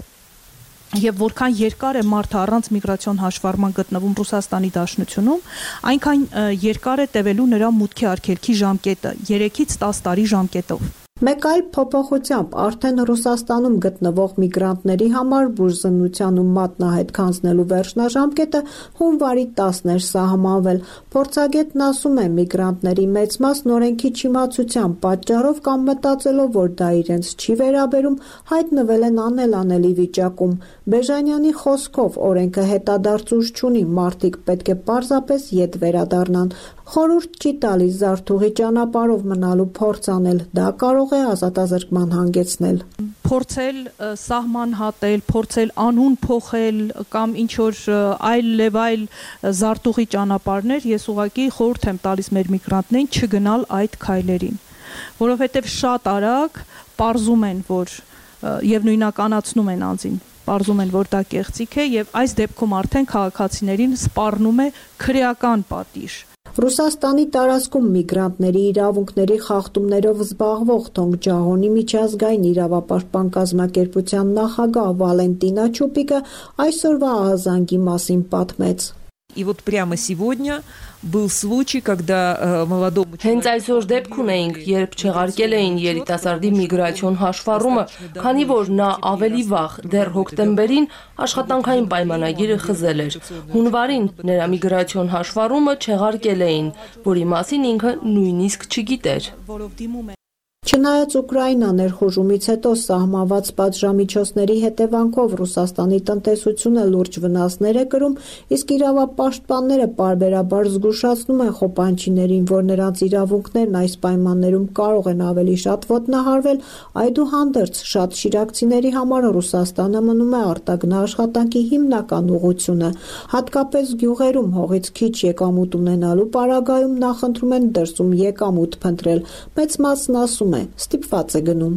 Եվ որքան երկար է մարդը առանց միգրացիոն հաշվառման գտնվում Ռուսաստանի Դաշնությունում, այնքան երկար է տևելու նրա մուտքի արգելքի ժամկետը 3-ից 10 տարի ժամկետով։ Մեկ այլ փոփոխությամբ արդեն Ռուսաստանում գտնվող միգրանտների համար բուժզնության ու մատնահետ քանձնելու վերջնաժամկետը հունվարի 10-ն էր սահմանվել։ Փորձագետն ասում է, միգրանտների մեծ մասն օրենքի չիմացության պատճառով կամ մտածելով, որ դա իրենց չի վերաբերում, հայտնվել են անելանելի վիճակում։ Բեժանյանի խոսքով օրենքը հետադարձ ուժ չունի, մարդիկ պետք է պարզապես ետ վերադառնան։ Խորհուրդ չի տալիս զարթուղի ճանապարհով մնալու փորձ անել, դա կարող է ազատազրկման հանգեցնել։ Փորձել սահման հատել, փորձել անուն փոխել կամ ինչ որ այլ զարտուղի ճանապարհներ, ես ուղղակի խորհուրդ եմ տալիս մեր միգրանտներին չգնալ այդ քայլերին, որովհետև շատ արագ պարզում են, որ եւ նույնականացնում են անձին, պարզում են, որ դա կեղծիք է եւ այս դեպքում արդեն քաղաքացիներին սպառնում է քրեական պատիժ։ Ռուսաստանի տարածքում միգրանտների իրավունքների խախտումներով զբաղվող Թոնգջահոնի միջազգային իրավապաշտպան կազմակերպության նախագահ Վալենտինա Չուպիկը այսօրվա ահազանգի մասին պատմեց։ И вот прямо сегодня был случай, когда молодому Հենց այսօր դեպք ունեինք, երբ չեղարկել էին երիտասարդի միգրացիոն հաշվառումը, քանի որ նա ավելի վաղ, դեռ հոկտեմբերին աշխատանքային պայմանագիրը խզել էր։ Հունվարին նրա միգրացիոն հաշվառումը չեղարկել էին, որի մասին ինքը նույնիսկ չգիտեր։ Չնայած Ուկրաինա ներխուժումից հետո սահմանված պատժամիջոցների հետևանքով Ռուսաստանի տնտեսությունը լուրջ վնասներ է կրում, իսկ իրավապաշտպանները պարբերաբար զգուշացնում են խոպանչիներին, որ նրանց իրավունքներն այս պայմաններում կարող են ավելի շատ ոտնահարվել, այդուհանդերձ շատ շիրակցիների համար Ռուսաստանը մնում է արտագնա աշխատանքի հիմնական ուղղությունը։ Հատկապես գյուղերում հողից քիչ եկամուտ ունենալու պարագայում նախընտրում են դրսում եկամուտ փնտրել։ Մեծ մասն ասում ստիպված է գնում։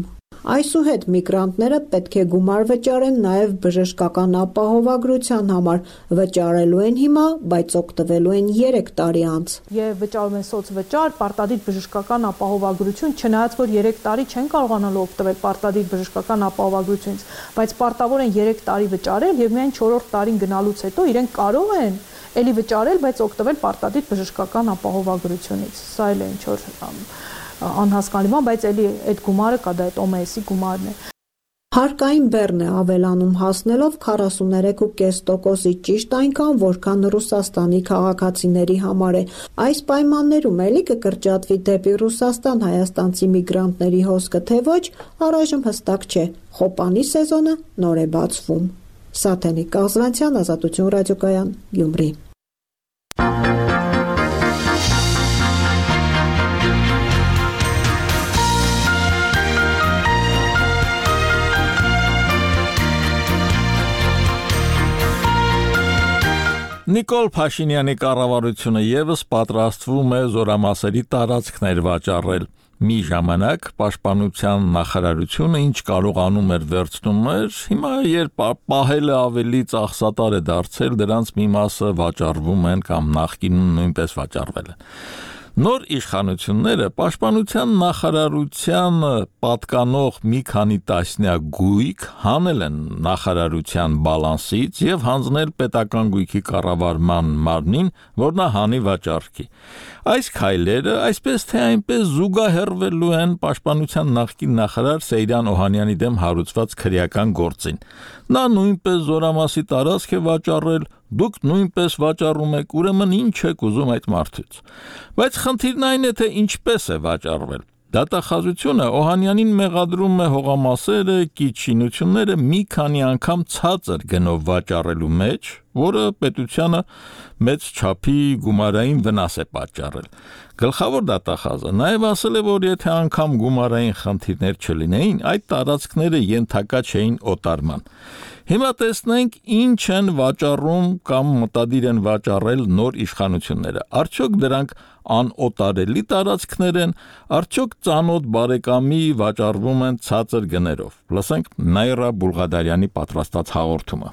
Այսուհետ միգրանտները պետք է գումար վճարեն նաև բժշկական ապահովագրության համար։ Վճարելու են հիմա, բայց օգտվելու են 3 տարի անց։ Եվ վճարում են սոցվճար, պարտադիր բժշկական ապահովագրություն, չնայած որ 3 տարի չեն կարողանալու օգտվել պարտադիր բժշկական ապահովագրությունից, բայց պարտավոր են 3 տարի վճարել եւ միայն 4-րդ տարին գնալուց հետո իրենք կարող են էլի վճարել, բայց օգտվել պարտադիր բժշկական ապահովագրությունից։ Սա էլ է ինչ որ անհասկանալի բան, բայց էլի այդ գումարը կա, դա այդ OMS-ի գումարն է։ Հարկային բեռն է ավելանում հասնելով 43.5%-ի, ճիշտ այնքան, որքան Ռուսաստանի քաղաքացիների համար է։ Այս պայմաններում էլի կկրճատվի դեպի Ռուսաստան հայաստանցի միգրանտների հոսքը, թե ոչ, առայժմ հստակ չէ։ Խոպանի սեզոնը նոր է բացվում։ Սաթենիկ Կազվանցյան, Ազատություն ռադիոկայան, Գյումրի։ Նիկոլ Փաշինյանի կառավարությունը եւս պատրաստվում է զորամասերի տարածքներ վաճառել։ Մի ժամանակ պաշտպանության նախարարությունը ինչ կարողանում էր վերցնում էր, հիմա երբ պահելը ավելի ծախսատար է դարձել, դրանց մի մասը վաճառվում են կամ նախկինում նույնպես վաճառվել են։ Նոր իշխանությունները պաշտպանության նախարարության պատկանող մի քանի տասնյակ գույք հանել են նախարարության բալանսից եւ հանձնել պետական գույքի կառավարման մարմնին, որ նա հանի վաճառքի։ Այս քայլերը այսպես թե այնպես զուգահեռվելու են պաշտպանության նախկին նախարար Սեյրան Օհանյանի դեմ հարուցված քրեական գործին։ Նա նույնպես զորամասի տարածք է վաճառել, դուք նույնպես վաճառում եք, ուրեմն ինչ եք ուզում այդ մարդուց։ Բայց խնդիրն այն է, թե ինչպես է վաճառվել։ Դատախազությունը Օհանյանին մեղադրում է հողամասերը, կիչինությունները մի քանի անգամ ցածր գնով վաճառելու մեջ, որը պետությանը մեծ չափի գումարային վնաս է պատճառել։ Գլխավոր դատախազը նաև ասել է, որ եթե անգամ գումարային խնդիրներ չլինեին, այդ տարածքները ենթակա չէին օտարման։ Հիմա տեսնենք ինչ են վաճառում կամ մտադիր են վաճառել նոր իշխանությունները։ Արդյոք դրանք անօտարելի տարածքներ են, արդյոք ծանոթ բարեկամի վաճառվում են ցածր գներով։ Լսենք Նայրա Բուլղադարյանի պատրաստած հաղորդումը։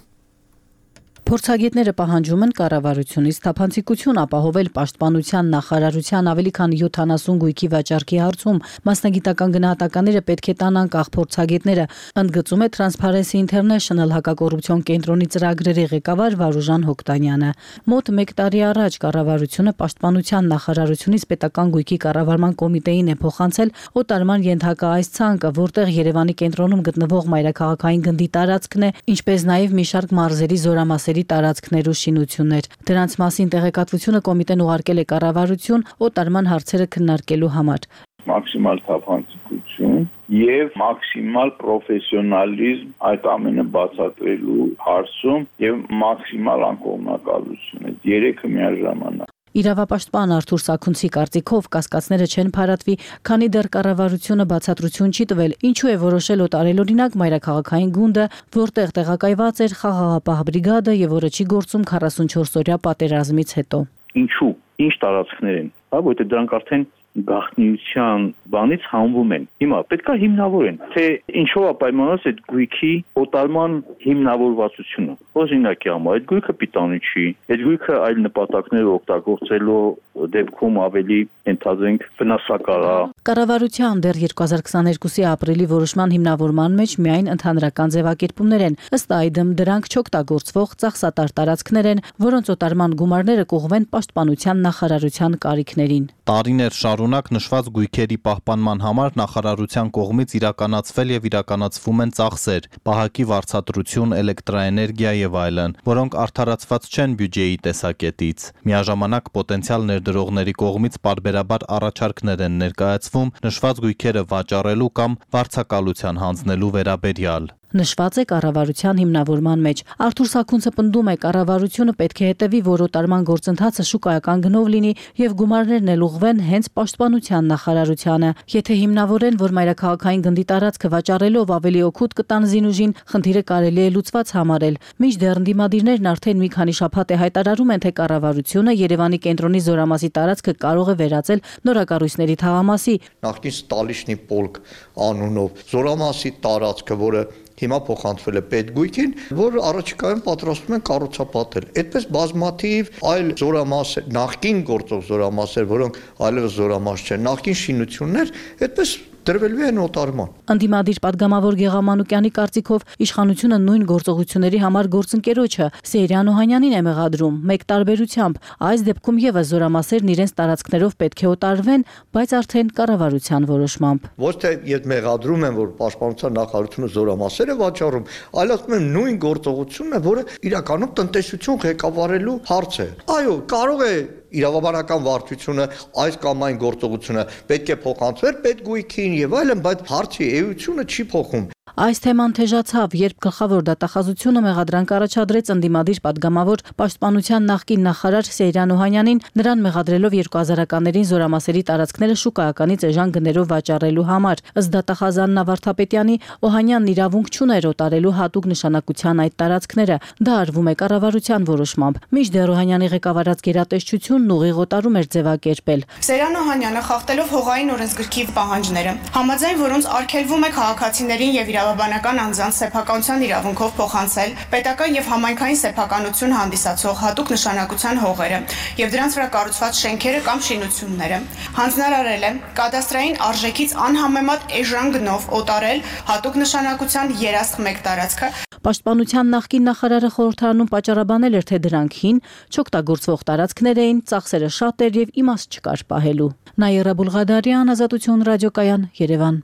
Փորձագետները պահանջում են կառավարությունից թափանցիկություն ապահովել պաշտպանության նախարարության ավելի քան 70 գույքի վաճառքի հարցում։ Մասնագիտական գնահատականները պետք է տան անկախ փորձագետները, ընդգծում է Transparency International հակակոռուպցիոն կենտրոնի ծրագրերի ղեկավար Վարուժան Հոկտանյանը։ Մոտ 1 տարի առաջ կառավարությունը պաշտպանության նախարարությունից պետական գույքի կառավարման կոմիտեին է փոխանցել օտարման ենթակա այս ցանկը, որտեղ Երևանի կենտրոնում գտնվող մայրաքաղաքային գնդի տարածքն է, ինչպես նաև մի շարք մարզերի զորամասերի տարածքներ ու շինություններ։ Դրանց մասին տեղեկատվությունը կոմիտեն ուղարկել է կառավարություն օտարման հարցերը քննարկելու համար։ Մաքսիմալ թափանցիկություն եւ մաքսիմալ պրոֆեսիոնալիզմ այդ ամենը բացատրելու հարցում եւ մաքսիմալ անկողմնակալություն։ Այդ երեքը միաժամանակ։ Իրավապաշտպան Արթուր Սաքունցի կարծիքով կասկածները չեն փարատվի, քանի դեռ կառավարությունը բացատրություն չի տվել, ինչու է որոշել օտարել օրինակ մայրաքաղաքային գունդը, որտեղ տեղակայված էր խաղաղապահ բրիգադը եւ որը չի գործում 44-օրյա պատերազմից հետո։ Ինչու՞, ինչ տարածքներ են, որտեղ դրանք արդեն գաղտնիության բանից հանվում են։ Հիմա պետք է հիմնավորեն, թե ինչով է պայմանավորված այդ գույքի օտարման հիմնավորվածությունը։ Օրինակի համար այդ գույքը պիտանի չի, այդ գույքը այլ նպատակներ օգտագործելու դեպքում ավելի ընդհանրենք վնասակար է։ Կառավարության դեռ 2022-ի ապրիլի որոշման հիմնավորման մեջ միայն ընդհանրական ձևակերպումներ են։ Ըստ այդմ դրանք չօգտագործվող ծախսատար տարածքներ են, որոնց օտարման գումարները կուղղվեն պաշտպանության նախարարության կարիքներին։ Տարիներ շարունակ նշված գույքերի պահպանման համար նախարարության կողմից իրականացվել եւ իրականացվում են ծախսեր, պահակի վարձատրություն, էլեկտրաէներգիա եւ այլն, որոնք արդարացված չեն բյուջեի տեսակետից։ Միաժամանակ պոտենցիալ ներդրողների կողմից պարբերաբար առաջարկներ են ներկայացվում նշված գույքերը վաճառելու կամ վարձակալության հանձնելու վերաբերյալ։ Նշված է կառավարության հիմնավորման մեջ։ Արթուր Սաքունցը պնդում է, կառավարությունը պետք է հետևի, որ օտարման գործընթացը շուկայական գնով լինի եւ գումարներն էլ ուղղվեն հենց պաշտպանության նախարարությանը։ Եթե հիմնավորեն, որ մայրաքաղաքային գնդի տարածքը վաճառելով ավելի օգուտ կտան զինուժին, խնդիրը կարելի է լուծված համարել։ Մինչդեռ ընդդիմադիրներն արդեն մի քանի շաբաթ է հայտարարում են, թե կառավարությունը Երևանի կենտրոնի զորամասի տարածքը կարող է վերածել նորակառույցների թաղամասի։ Նախկին Ստալիշնի պոլկ անունով զորամասի տարածքը, որը հիմա փոխանցվել է պետգույքին, որ առաջիկայում պատրաստվում են կառուցապատել։ Այդպես բազմաթիվ այլ զորամասեր, նախկին գործող զորամասեր, որոնք այլևս զորամաս չեն, նախկին շինություններ, այդպես դրվելու են օտարման։ Անդիմադիր падգամավոր Գեղամանուկյանի կարծիքով իշխանությունը նույն գործողությունների համար գործընկերոջը Սեյրան Օհանյանին է մեղադրում, մեկ տարբերությամբ, այս դեպքում եւս զորամասերն իրենց տարածքներով պետք է օտարվեն, բայց արդեն կառավարության որոշմամբ։ Ոչ թե իդ մեղադրում են, որ պաշտպանության նախարարությունը զորամասեր է վաճառում, այլ ասում են նույն գործողությունն է, որը իրականում տնտեսություն ղեկավարելու հարց է։ Այո, կարող է իրավաբանական վարչությունը այս կամ այն գործողությունը պետք է փոխանցվեր պետգույքին եւ այլն, բայց հարցի էությունը չի փոխում։ Այս թեման թեժացավ, երբ գլխավոր դատախազությունը մեղադրանք առաջադրեց ընդդիմադիր падգամավոր պաշտպանության նախկին նախարար Սեյրան Օհանյանին, նրան մեղադրելով 2000-ականներին զորամասերի տարածքները շուկայականից էժան գներով վաճառելու համար։ Ըստ դատախազան Նավարդապետյանի, Օհանյանն իրավունք չուներ օտարելու հատուկ նշանակության այդ տարածքները։ Դա արվում է կառավարության որոշմամբ։ Մինչդեռ Օհանյանի ղեկավարած գերատեսչությունն ուղիղ օտարում էր ձևակերպել։ Սեյրան Օհանյանը խախտելով հողային օրենսգրքի պահանջները, համաձայն որոնց արգելվում է քաղաքացիներին եւ իրավաբանական անձանց սեփականության իրավունքով փոխանցել պետական եւ համայնքային սեփականություն հանդիսացող հատուկ նշանակության հողերը եւ դրանց վրա կառուցված շենքերը կամ շինությունները, հանձնարարել է կադաստրային արժեքից անհամեմատ էժան գնով օտարել հատուկ նշանակության երասխ 1 տարածքը։ Պաշտպանության նախկին նախարարը խորհրդարանում պատճառաբանել էր, թե դրանք հին, չօգտագործվող տարածքներ էին, ծախսերը շատ էր եւ իմաստ չկար պահելու։ Նաիրա Բուլղադարյան, Ազատություն ռադիոկայան, Երևան։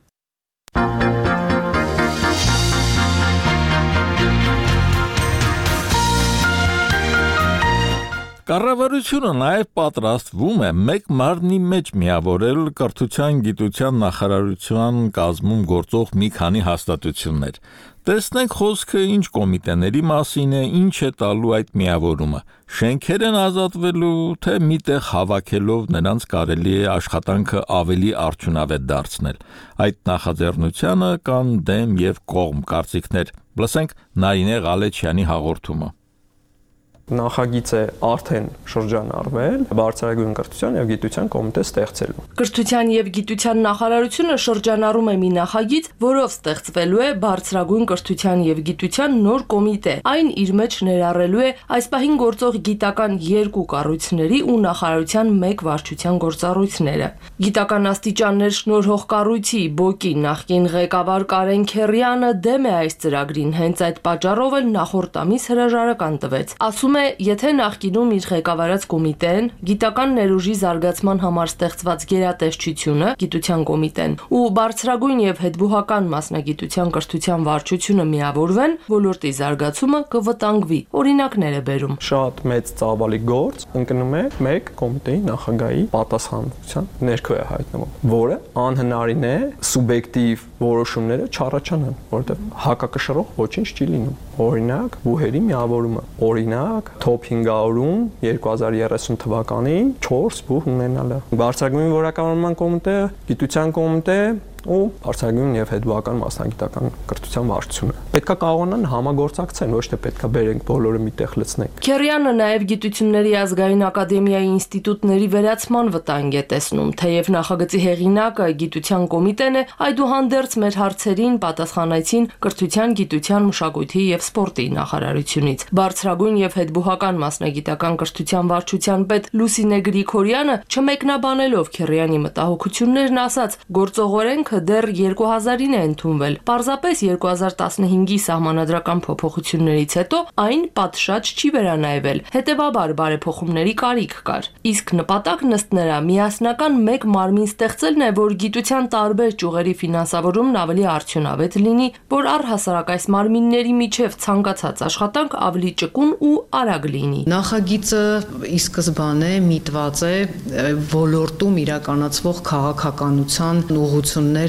Կառավարությունը նաև պատրաստվում է մեկ մարմնի մեջ միավորել կրթության գիտության նախարարության կազմում գործող մի քանի հաստատություններ։ Տեսնենք խոսքը ինչ կոմիտեների մասին է, ինչ է տալու այդ միավորումը։ Շենքեր են ազատվելու, թե միտեղ հավաքելով նրանց կարելի է աշխատանքը ավելի արդյունավետ դարձնել։ Այդ նախաձեռնությանը կան դեմ եւ կողմ կարծիքներ։ Լսենք Նարինե Ղալեչյանի հաղորդումը։ Նախագիծը արդեն շրջանառվել բարձրագույն կրթության եւ գիտության կոմիտե ստեղծելու։ Կրթության եւ գիտության նախարարությունը շրջանառում է մի նախագիծ, որով ստեղծվելու է բարձրագույն կրթության եւ գիտության նոր կոմիտե։ Այն իր մեջ ներառելու է այս պահին գործող գիտական 2 կառույցների ու նախարարության 1 վարչության գործառույթները։ Գիտական աստիճաններ շնորհող կառույցի ԲՕԿ-ի նախկին ղեկավար Կարեն Քերյանը դեմ է այս ծրագրին, հենց այդ պատճառով էլ նախորդ ամիս հրաժարական տվեց։ Ասում եթե նախկինում իր ղեկավարած կոմիտեն, գիտական ներուժի զարգացման համար ստեղծված գերատեսչությունը, գիտության կոմիտեն ու բարձրագույն եւ հետբուհական մասնագիտության կրթության վարչությունը միավորվեն, ոլորտի զարգացումը կվտանգվի։ Օրինակներ է բերում։ Շատ մեծ ծավալի գործ ընկնում է մեկ կոմիտեի նախագահի պատասխանատվության ներքո է հայտնվում, որը անհնարին է սուբյեկտիվ որոշումները չառաջանան, որովհետեւ հակակշռող ոչինչ չի լինում։ Օրինակ, բուհերի միավորումը, օրինակ Top 500-ում 2030 թվականին 4 բուհ ունենալը։ Բարձրագույն որակավորման կոմիտե, գիտության կոմիտե ու բարձրագույն եւ հետբուհական մասնագիտական կրթության վարչությունը։ Պետքա կարողանան համագործակցեն, ոչ թե պետքա բերենք բոլորը միտեղ լցնենք։ Քերյանը նաեւ Գիտությունների ազգային ակադեմիայի ինստիտուտների վերացման վտանգ է տեսնում, թեև նախագծի հեղինակը գիտության կոմիտեն է, այդուհանդերձ մեր հարցերին պատասխանեցին կրթության, գիտության, մշակույթի եւ սպորտի նախարարությունից։ Բարձրագույն եւ հետբուհական մասնագիտական կրթության վարչության պետ Լուսինե Գրիգորյանը չմեկնաբանելով Քերյանի մտահոգություններն ասաց, գործողորեն դեռ 2000-ին է ընդունվել։ Պարզապես 2015-ի սահմանադրական փոփոխություններից հետո այն պատշաճ չի վերանայվել։ Հետևաբար բարեփոխումների կարիք կար։ Իսկ նպատակն ըստ նրա միասնական մեկ մարմին ստեղծելն է, որ գիտության տարբեր ճյուղերի ֆինանսավորումն ավելի արդյունավետ լինի, որ առհասարակ այս մարմինների միջև ցանկացած աշխատանք ավելի ճկուն ու արագ լինի։ Նախագիծը ի սկզբանե միտված է ոլորտում իրականացվող քաղաքականության ուղղությունները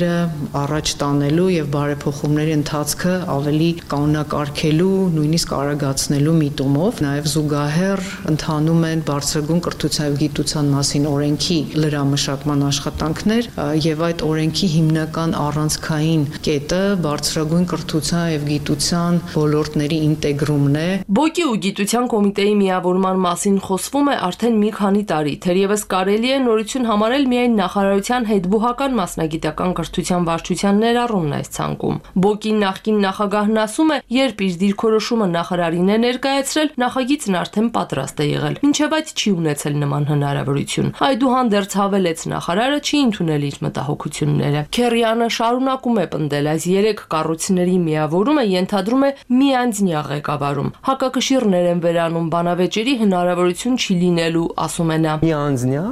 առաջ տանելու եւ բարեփոխումների ընթացքը ավելի կանոնակարգելու, նույնիսկ արագացնելու միտումով, նաեւ զուգահեռ ընթանում են բարձրագույն կրթության եւ գիտության մասին օրենքի լրամշակման աշխատանքներ եւ այդ օրենքի հիմնական առանցքային կետը բարձրագույն կրթության եւ գիտության ոլորտների ինտեգրումն է։ ԲՕԿ-ի ու գիտության կոմիտեի միավորման մասին խոսվում է արդեն մի քանի տարի, թերևս կարելի է նորություն համարել միայն նախարարության հետբուհական մասնագիտական կրթության վարչության ներառումն այս ցանկում։ ԲՕԿ-ի նախկին նախագահն ասում է, երբ իր դիրքորոշումը նախարարին է ներկայացրել, նախագիծն արդեն պատրաստ է եղել, մինչև այդ չի ունեցել նման հնարավորություն։ Այդուհանդերձ հավելեց նախարարը չի ընդունել իր մտահոգությունները։ Քերյանը շարունակում է պնդել, այս 3 կառույցների միավորումը ենթադրում է միանձնյա ղեկավարում։ Հակակշիռներ են վերանում, բանավեճերի հնարավորություն չի լինելու, ասում է նա։ Միանձնյա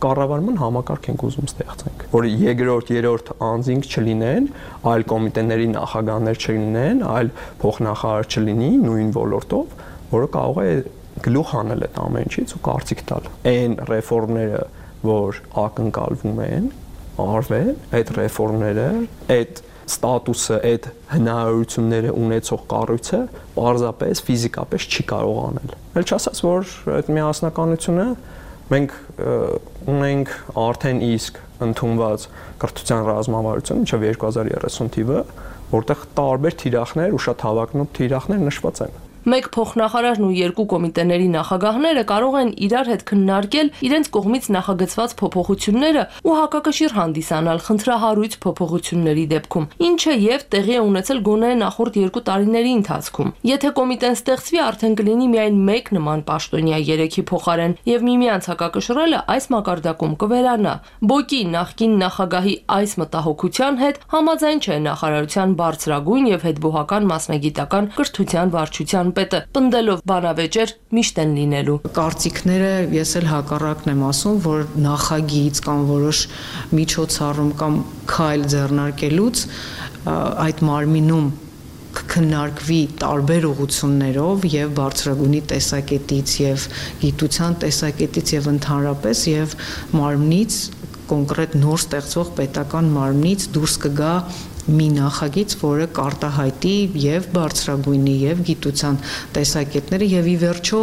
կառավարման համակարգ ենք ուզում ստեղծենք, որ երկրորդ, երրորդ անձինք չլինեն, այլ կոմիտեների նախագահներ չլինեն, այլ փոխնախարար չլինի նույն ոլորտով, որը կարող է գլուխ հանել այդ ամեն ինչից ու կարծիք տալ։ Այն ռեֆորմները, որ ակնկալվում են, արվել, այդ ռեֆորմները, այդ ստատուսը, այդ հնարավորությունները ունեցող կառույցը պարզապես ֆիզիկապես չի կարող անել։ Էլ չասած, որ այդ միասնականությունը մենք ունենք արդեն իսկ ընդունված կրթության ռազմավարություն մինչև 2030 թիվը, որտեղ տարբեր թիրախներ ու շատ հավակնոտ թիրախներ նշված են։ Մեկ փոխնախարարն ու 2 կոմիտեների նախագահները կարող են իրար հետ քննարկել իրենց կողմից նախագծված փոփոխությունները ու հակակշիռ հանդիսանալ խնդրահարույց փոփոխությունների դեպքում, ինչը եւ տեղի է ունեցել գոնե նախորդ 2 տարիների ընթացքում։ Եթե կոմիտեն ստեղծվի, արդեն կլինի միայն մեկ նման պաշտոնյա 3-ի փոխարեն եւ միմյանց հակակշռելը այս մակարդակում կվերանա։ ԲՕԿ-ի նախկին նախագահի այս մտահոգության հետ համաձայն չէ նախարարության բարձրագույն եւ հետբուհական մասնագիտական կրթության վարչության պետը, պնդելով բանավեճեր միշտ են լինելու։ Կարծիքները ես էլ հակառակն եմ ասում, որ նախագիծ կամ որոշ միջոցառում կամ քայլ ձեռնարկելուց այդ մարմինում կքննարկվի տարբեր ուղղություններով եւ բարձրագույնի տեսակետից եւ գիտության տեսակետից եւ ընդհանրապես եւ մարմնից կոնկրետ նոր ստեղծվող պետական մարմնից դուրս կգա մի նախագիծ, որը կարտահայտի եւ բարձրագույնի եւ գիտության տեսակետները եւ ի վերջո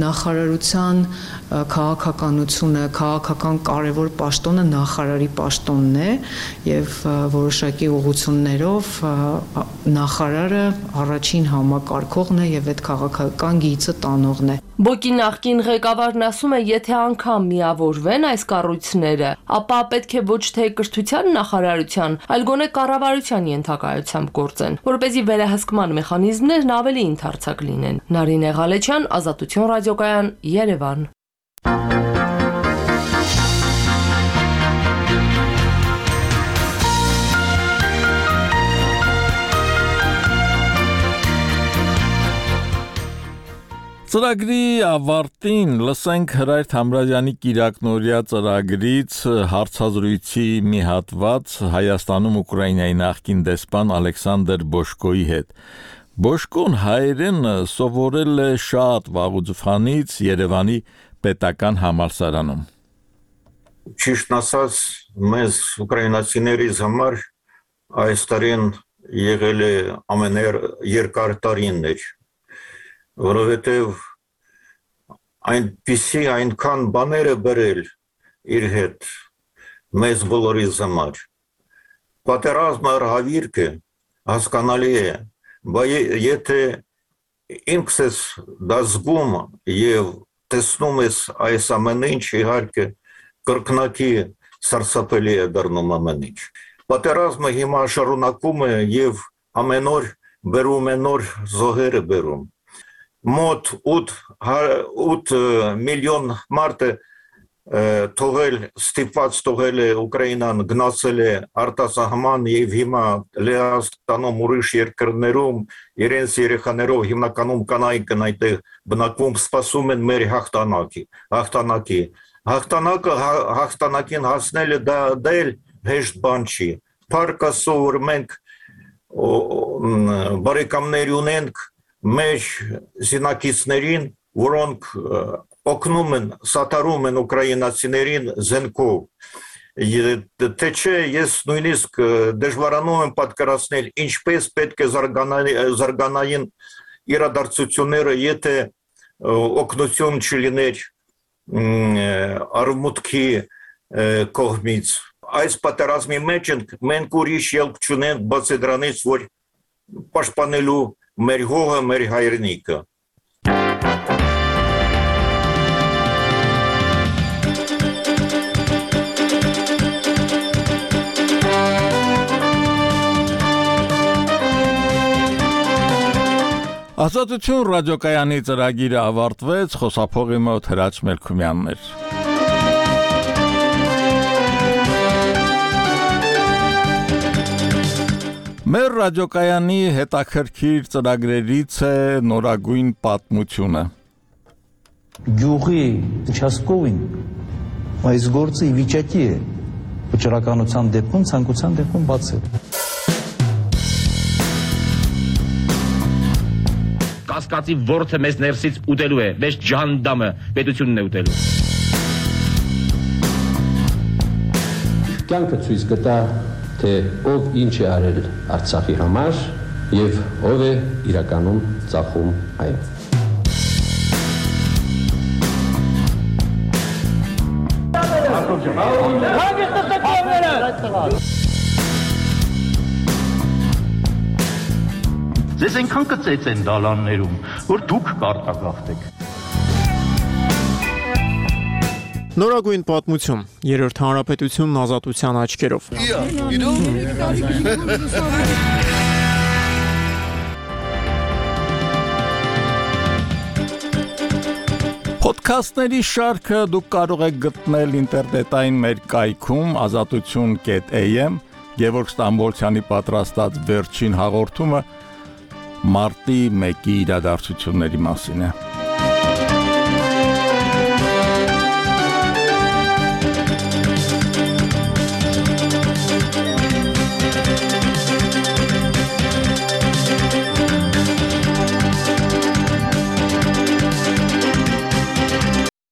նախարարության քաղաքականությունը, քաղաքական կարևոր պաշտոնը նախարարի պաշտոնն է եւ որոշակի ուղղություններով նախարարը առաջին համակարգողն է եւ այդ քաղաքական գիծը տանողն է։ ԲՕԿ-ի նախկին ղեկավարն ասում է, եթե անգամ միավորվեն այս կառույցները, ապա պետք է ոչ թե կրթության նախարարության, այլ գոնե կառավարության ենթակայությամբ գործեն, որպեսզի վերահսկման մեխանիզմներն ավելի ընդարձակ լինեն։ Նարինե Ղալեչյան, Ազատություն ռադիոկայան, Երևան։ Ծրագրի ավարտին լսենք Հրայր Թամրազյանի կիրակնօրյա ծրագրից հարցազրույցի մի հատված Հայաստանում Ուկրաինայի նախկին դեսպան Ալեքսանդր Բոշկոյի հետ։ Բոշկոն հայերեն սովորել է շատ վաղուց Երևանի պետական համալսարանում։ Ճիշտ ասած, մեզ ուկրաինացիներից համար այս տարին եղել է ամենաերկար տարիներ, որովհետև այնքան բաներ է բերել իր հետ մեզ բոլորիս համար։ Պատերազմը հավիրքը հասկանալի է, բայց եթե ինքս ես դա զգում եւ տեսնում ես այս ամեն ինչ, իհարկե կրկնակի սարսափելի է դառնում ամեն ինչ։ Պատերազմը հիմա շարունակում է եւ ամեն օր բերում է նոր զոհեր բերում։ Մոտ 8 միլիոն մարդ ստիպված թողել է Ուկրաինան, գնացել է արտասահման եւ հիմա Լեհաստանում ուրիշ երկրներում իրենց երեխաներով հիմնականում կանայք այնտեղ բնակվում, սպասում են մեր հաղթանակին հասնելը դա էլ հեշտ բան չի։ Փառք Աստծո, որ մենք բարեկամներ ունենք մեր զինակիցներին, որոնք օգնում են, սատարում են ուկրաինացիներին զենքով։ Թե չէ, ես նույնիսկ դժվարանում եմ պատկերացնել, ինչպես պետք է զարգանային իրադարձությունները, եթե օգնություն չլիներ արևմուտքի կողմից։ Այս պատերազմի մեջ մենք ուրիշ ելք չունենք բացի դրանից, որ պաշտպանելու մեր հողը, մեր հայրենիքը։ Ազատություն ռադիոկայանի ծրագիրը ավարտվեց, խոսափողի մոտ Հրաչ Մելքումյանն էր։ Մեր ռադիոկայանի հետաքրքիր ծրագրերից է նորագույն պատմությունը։ Գյուղի участковին այս գործը ի վիճակի է վճռականության դեպքում, ցանկության դեպքում բացել։ Կասկածի ворթը մեզ ներսից ուտելու է, մեզ ջանդամը պետությունն է ուտելու։ Կյանքը ցույց կտա, թե ով ինչ է արել Արցախի համար եւ ով է իրականում ծախում այն։ Ձեզ այնքան կծեց են դալաններում, որ դուք կարտագաղթեք։ Նորագույն պատմություն, երրորդ հանրապետությունն ազատության աչքերով։ Պոդքասթների շարքը դուք կարող եք գտնել ինտերնետային մեր կայքում azatutun.am, Գևորգ Ստամբոլցյանի պատրաստած վերջին հաղորդումը մարտի 1-ի իրադարձությունների մասին է։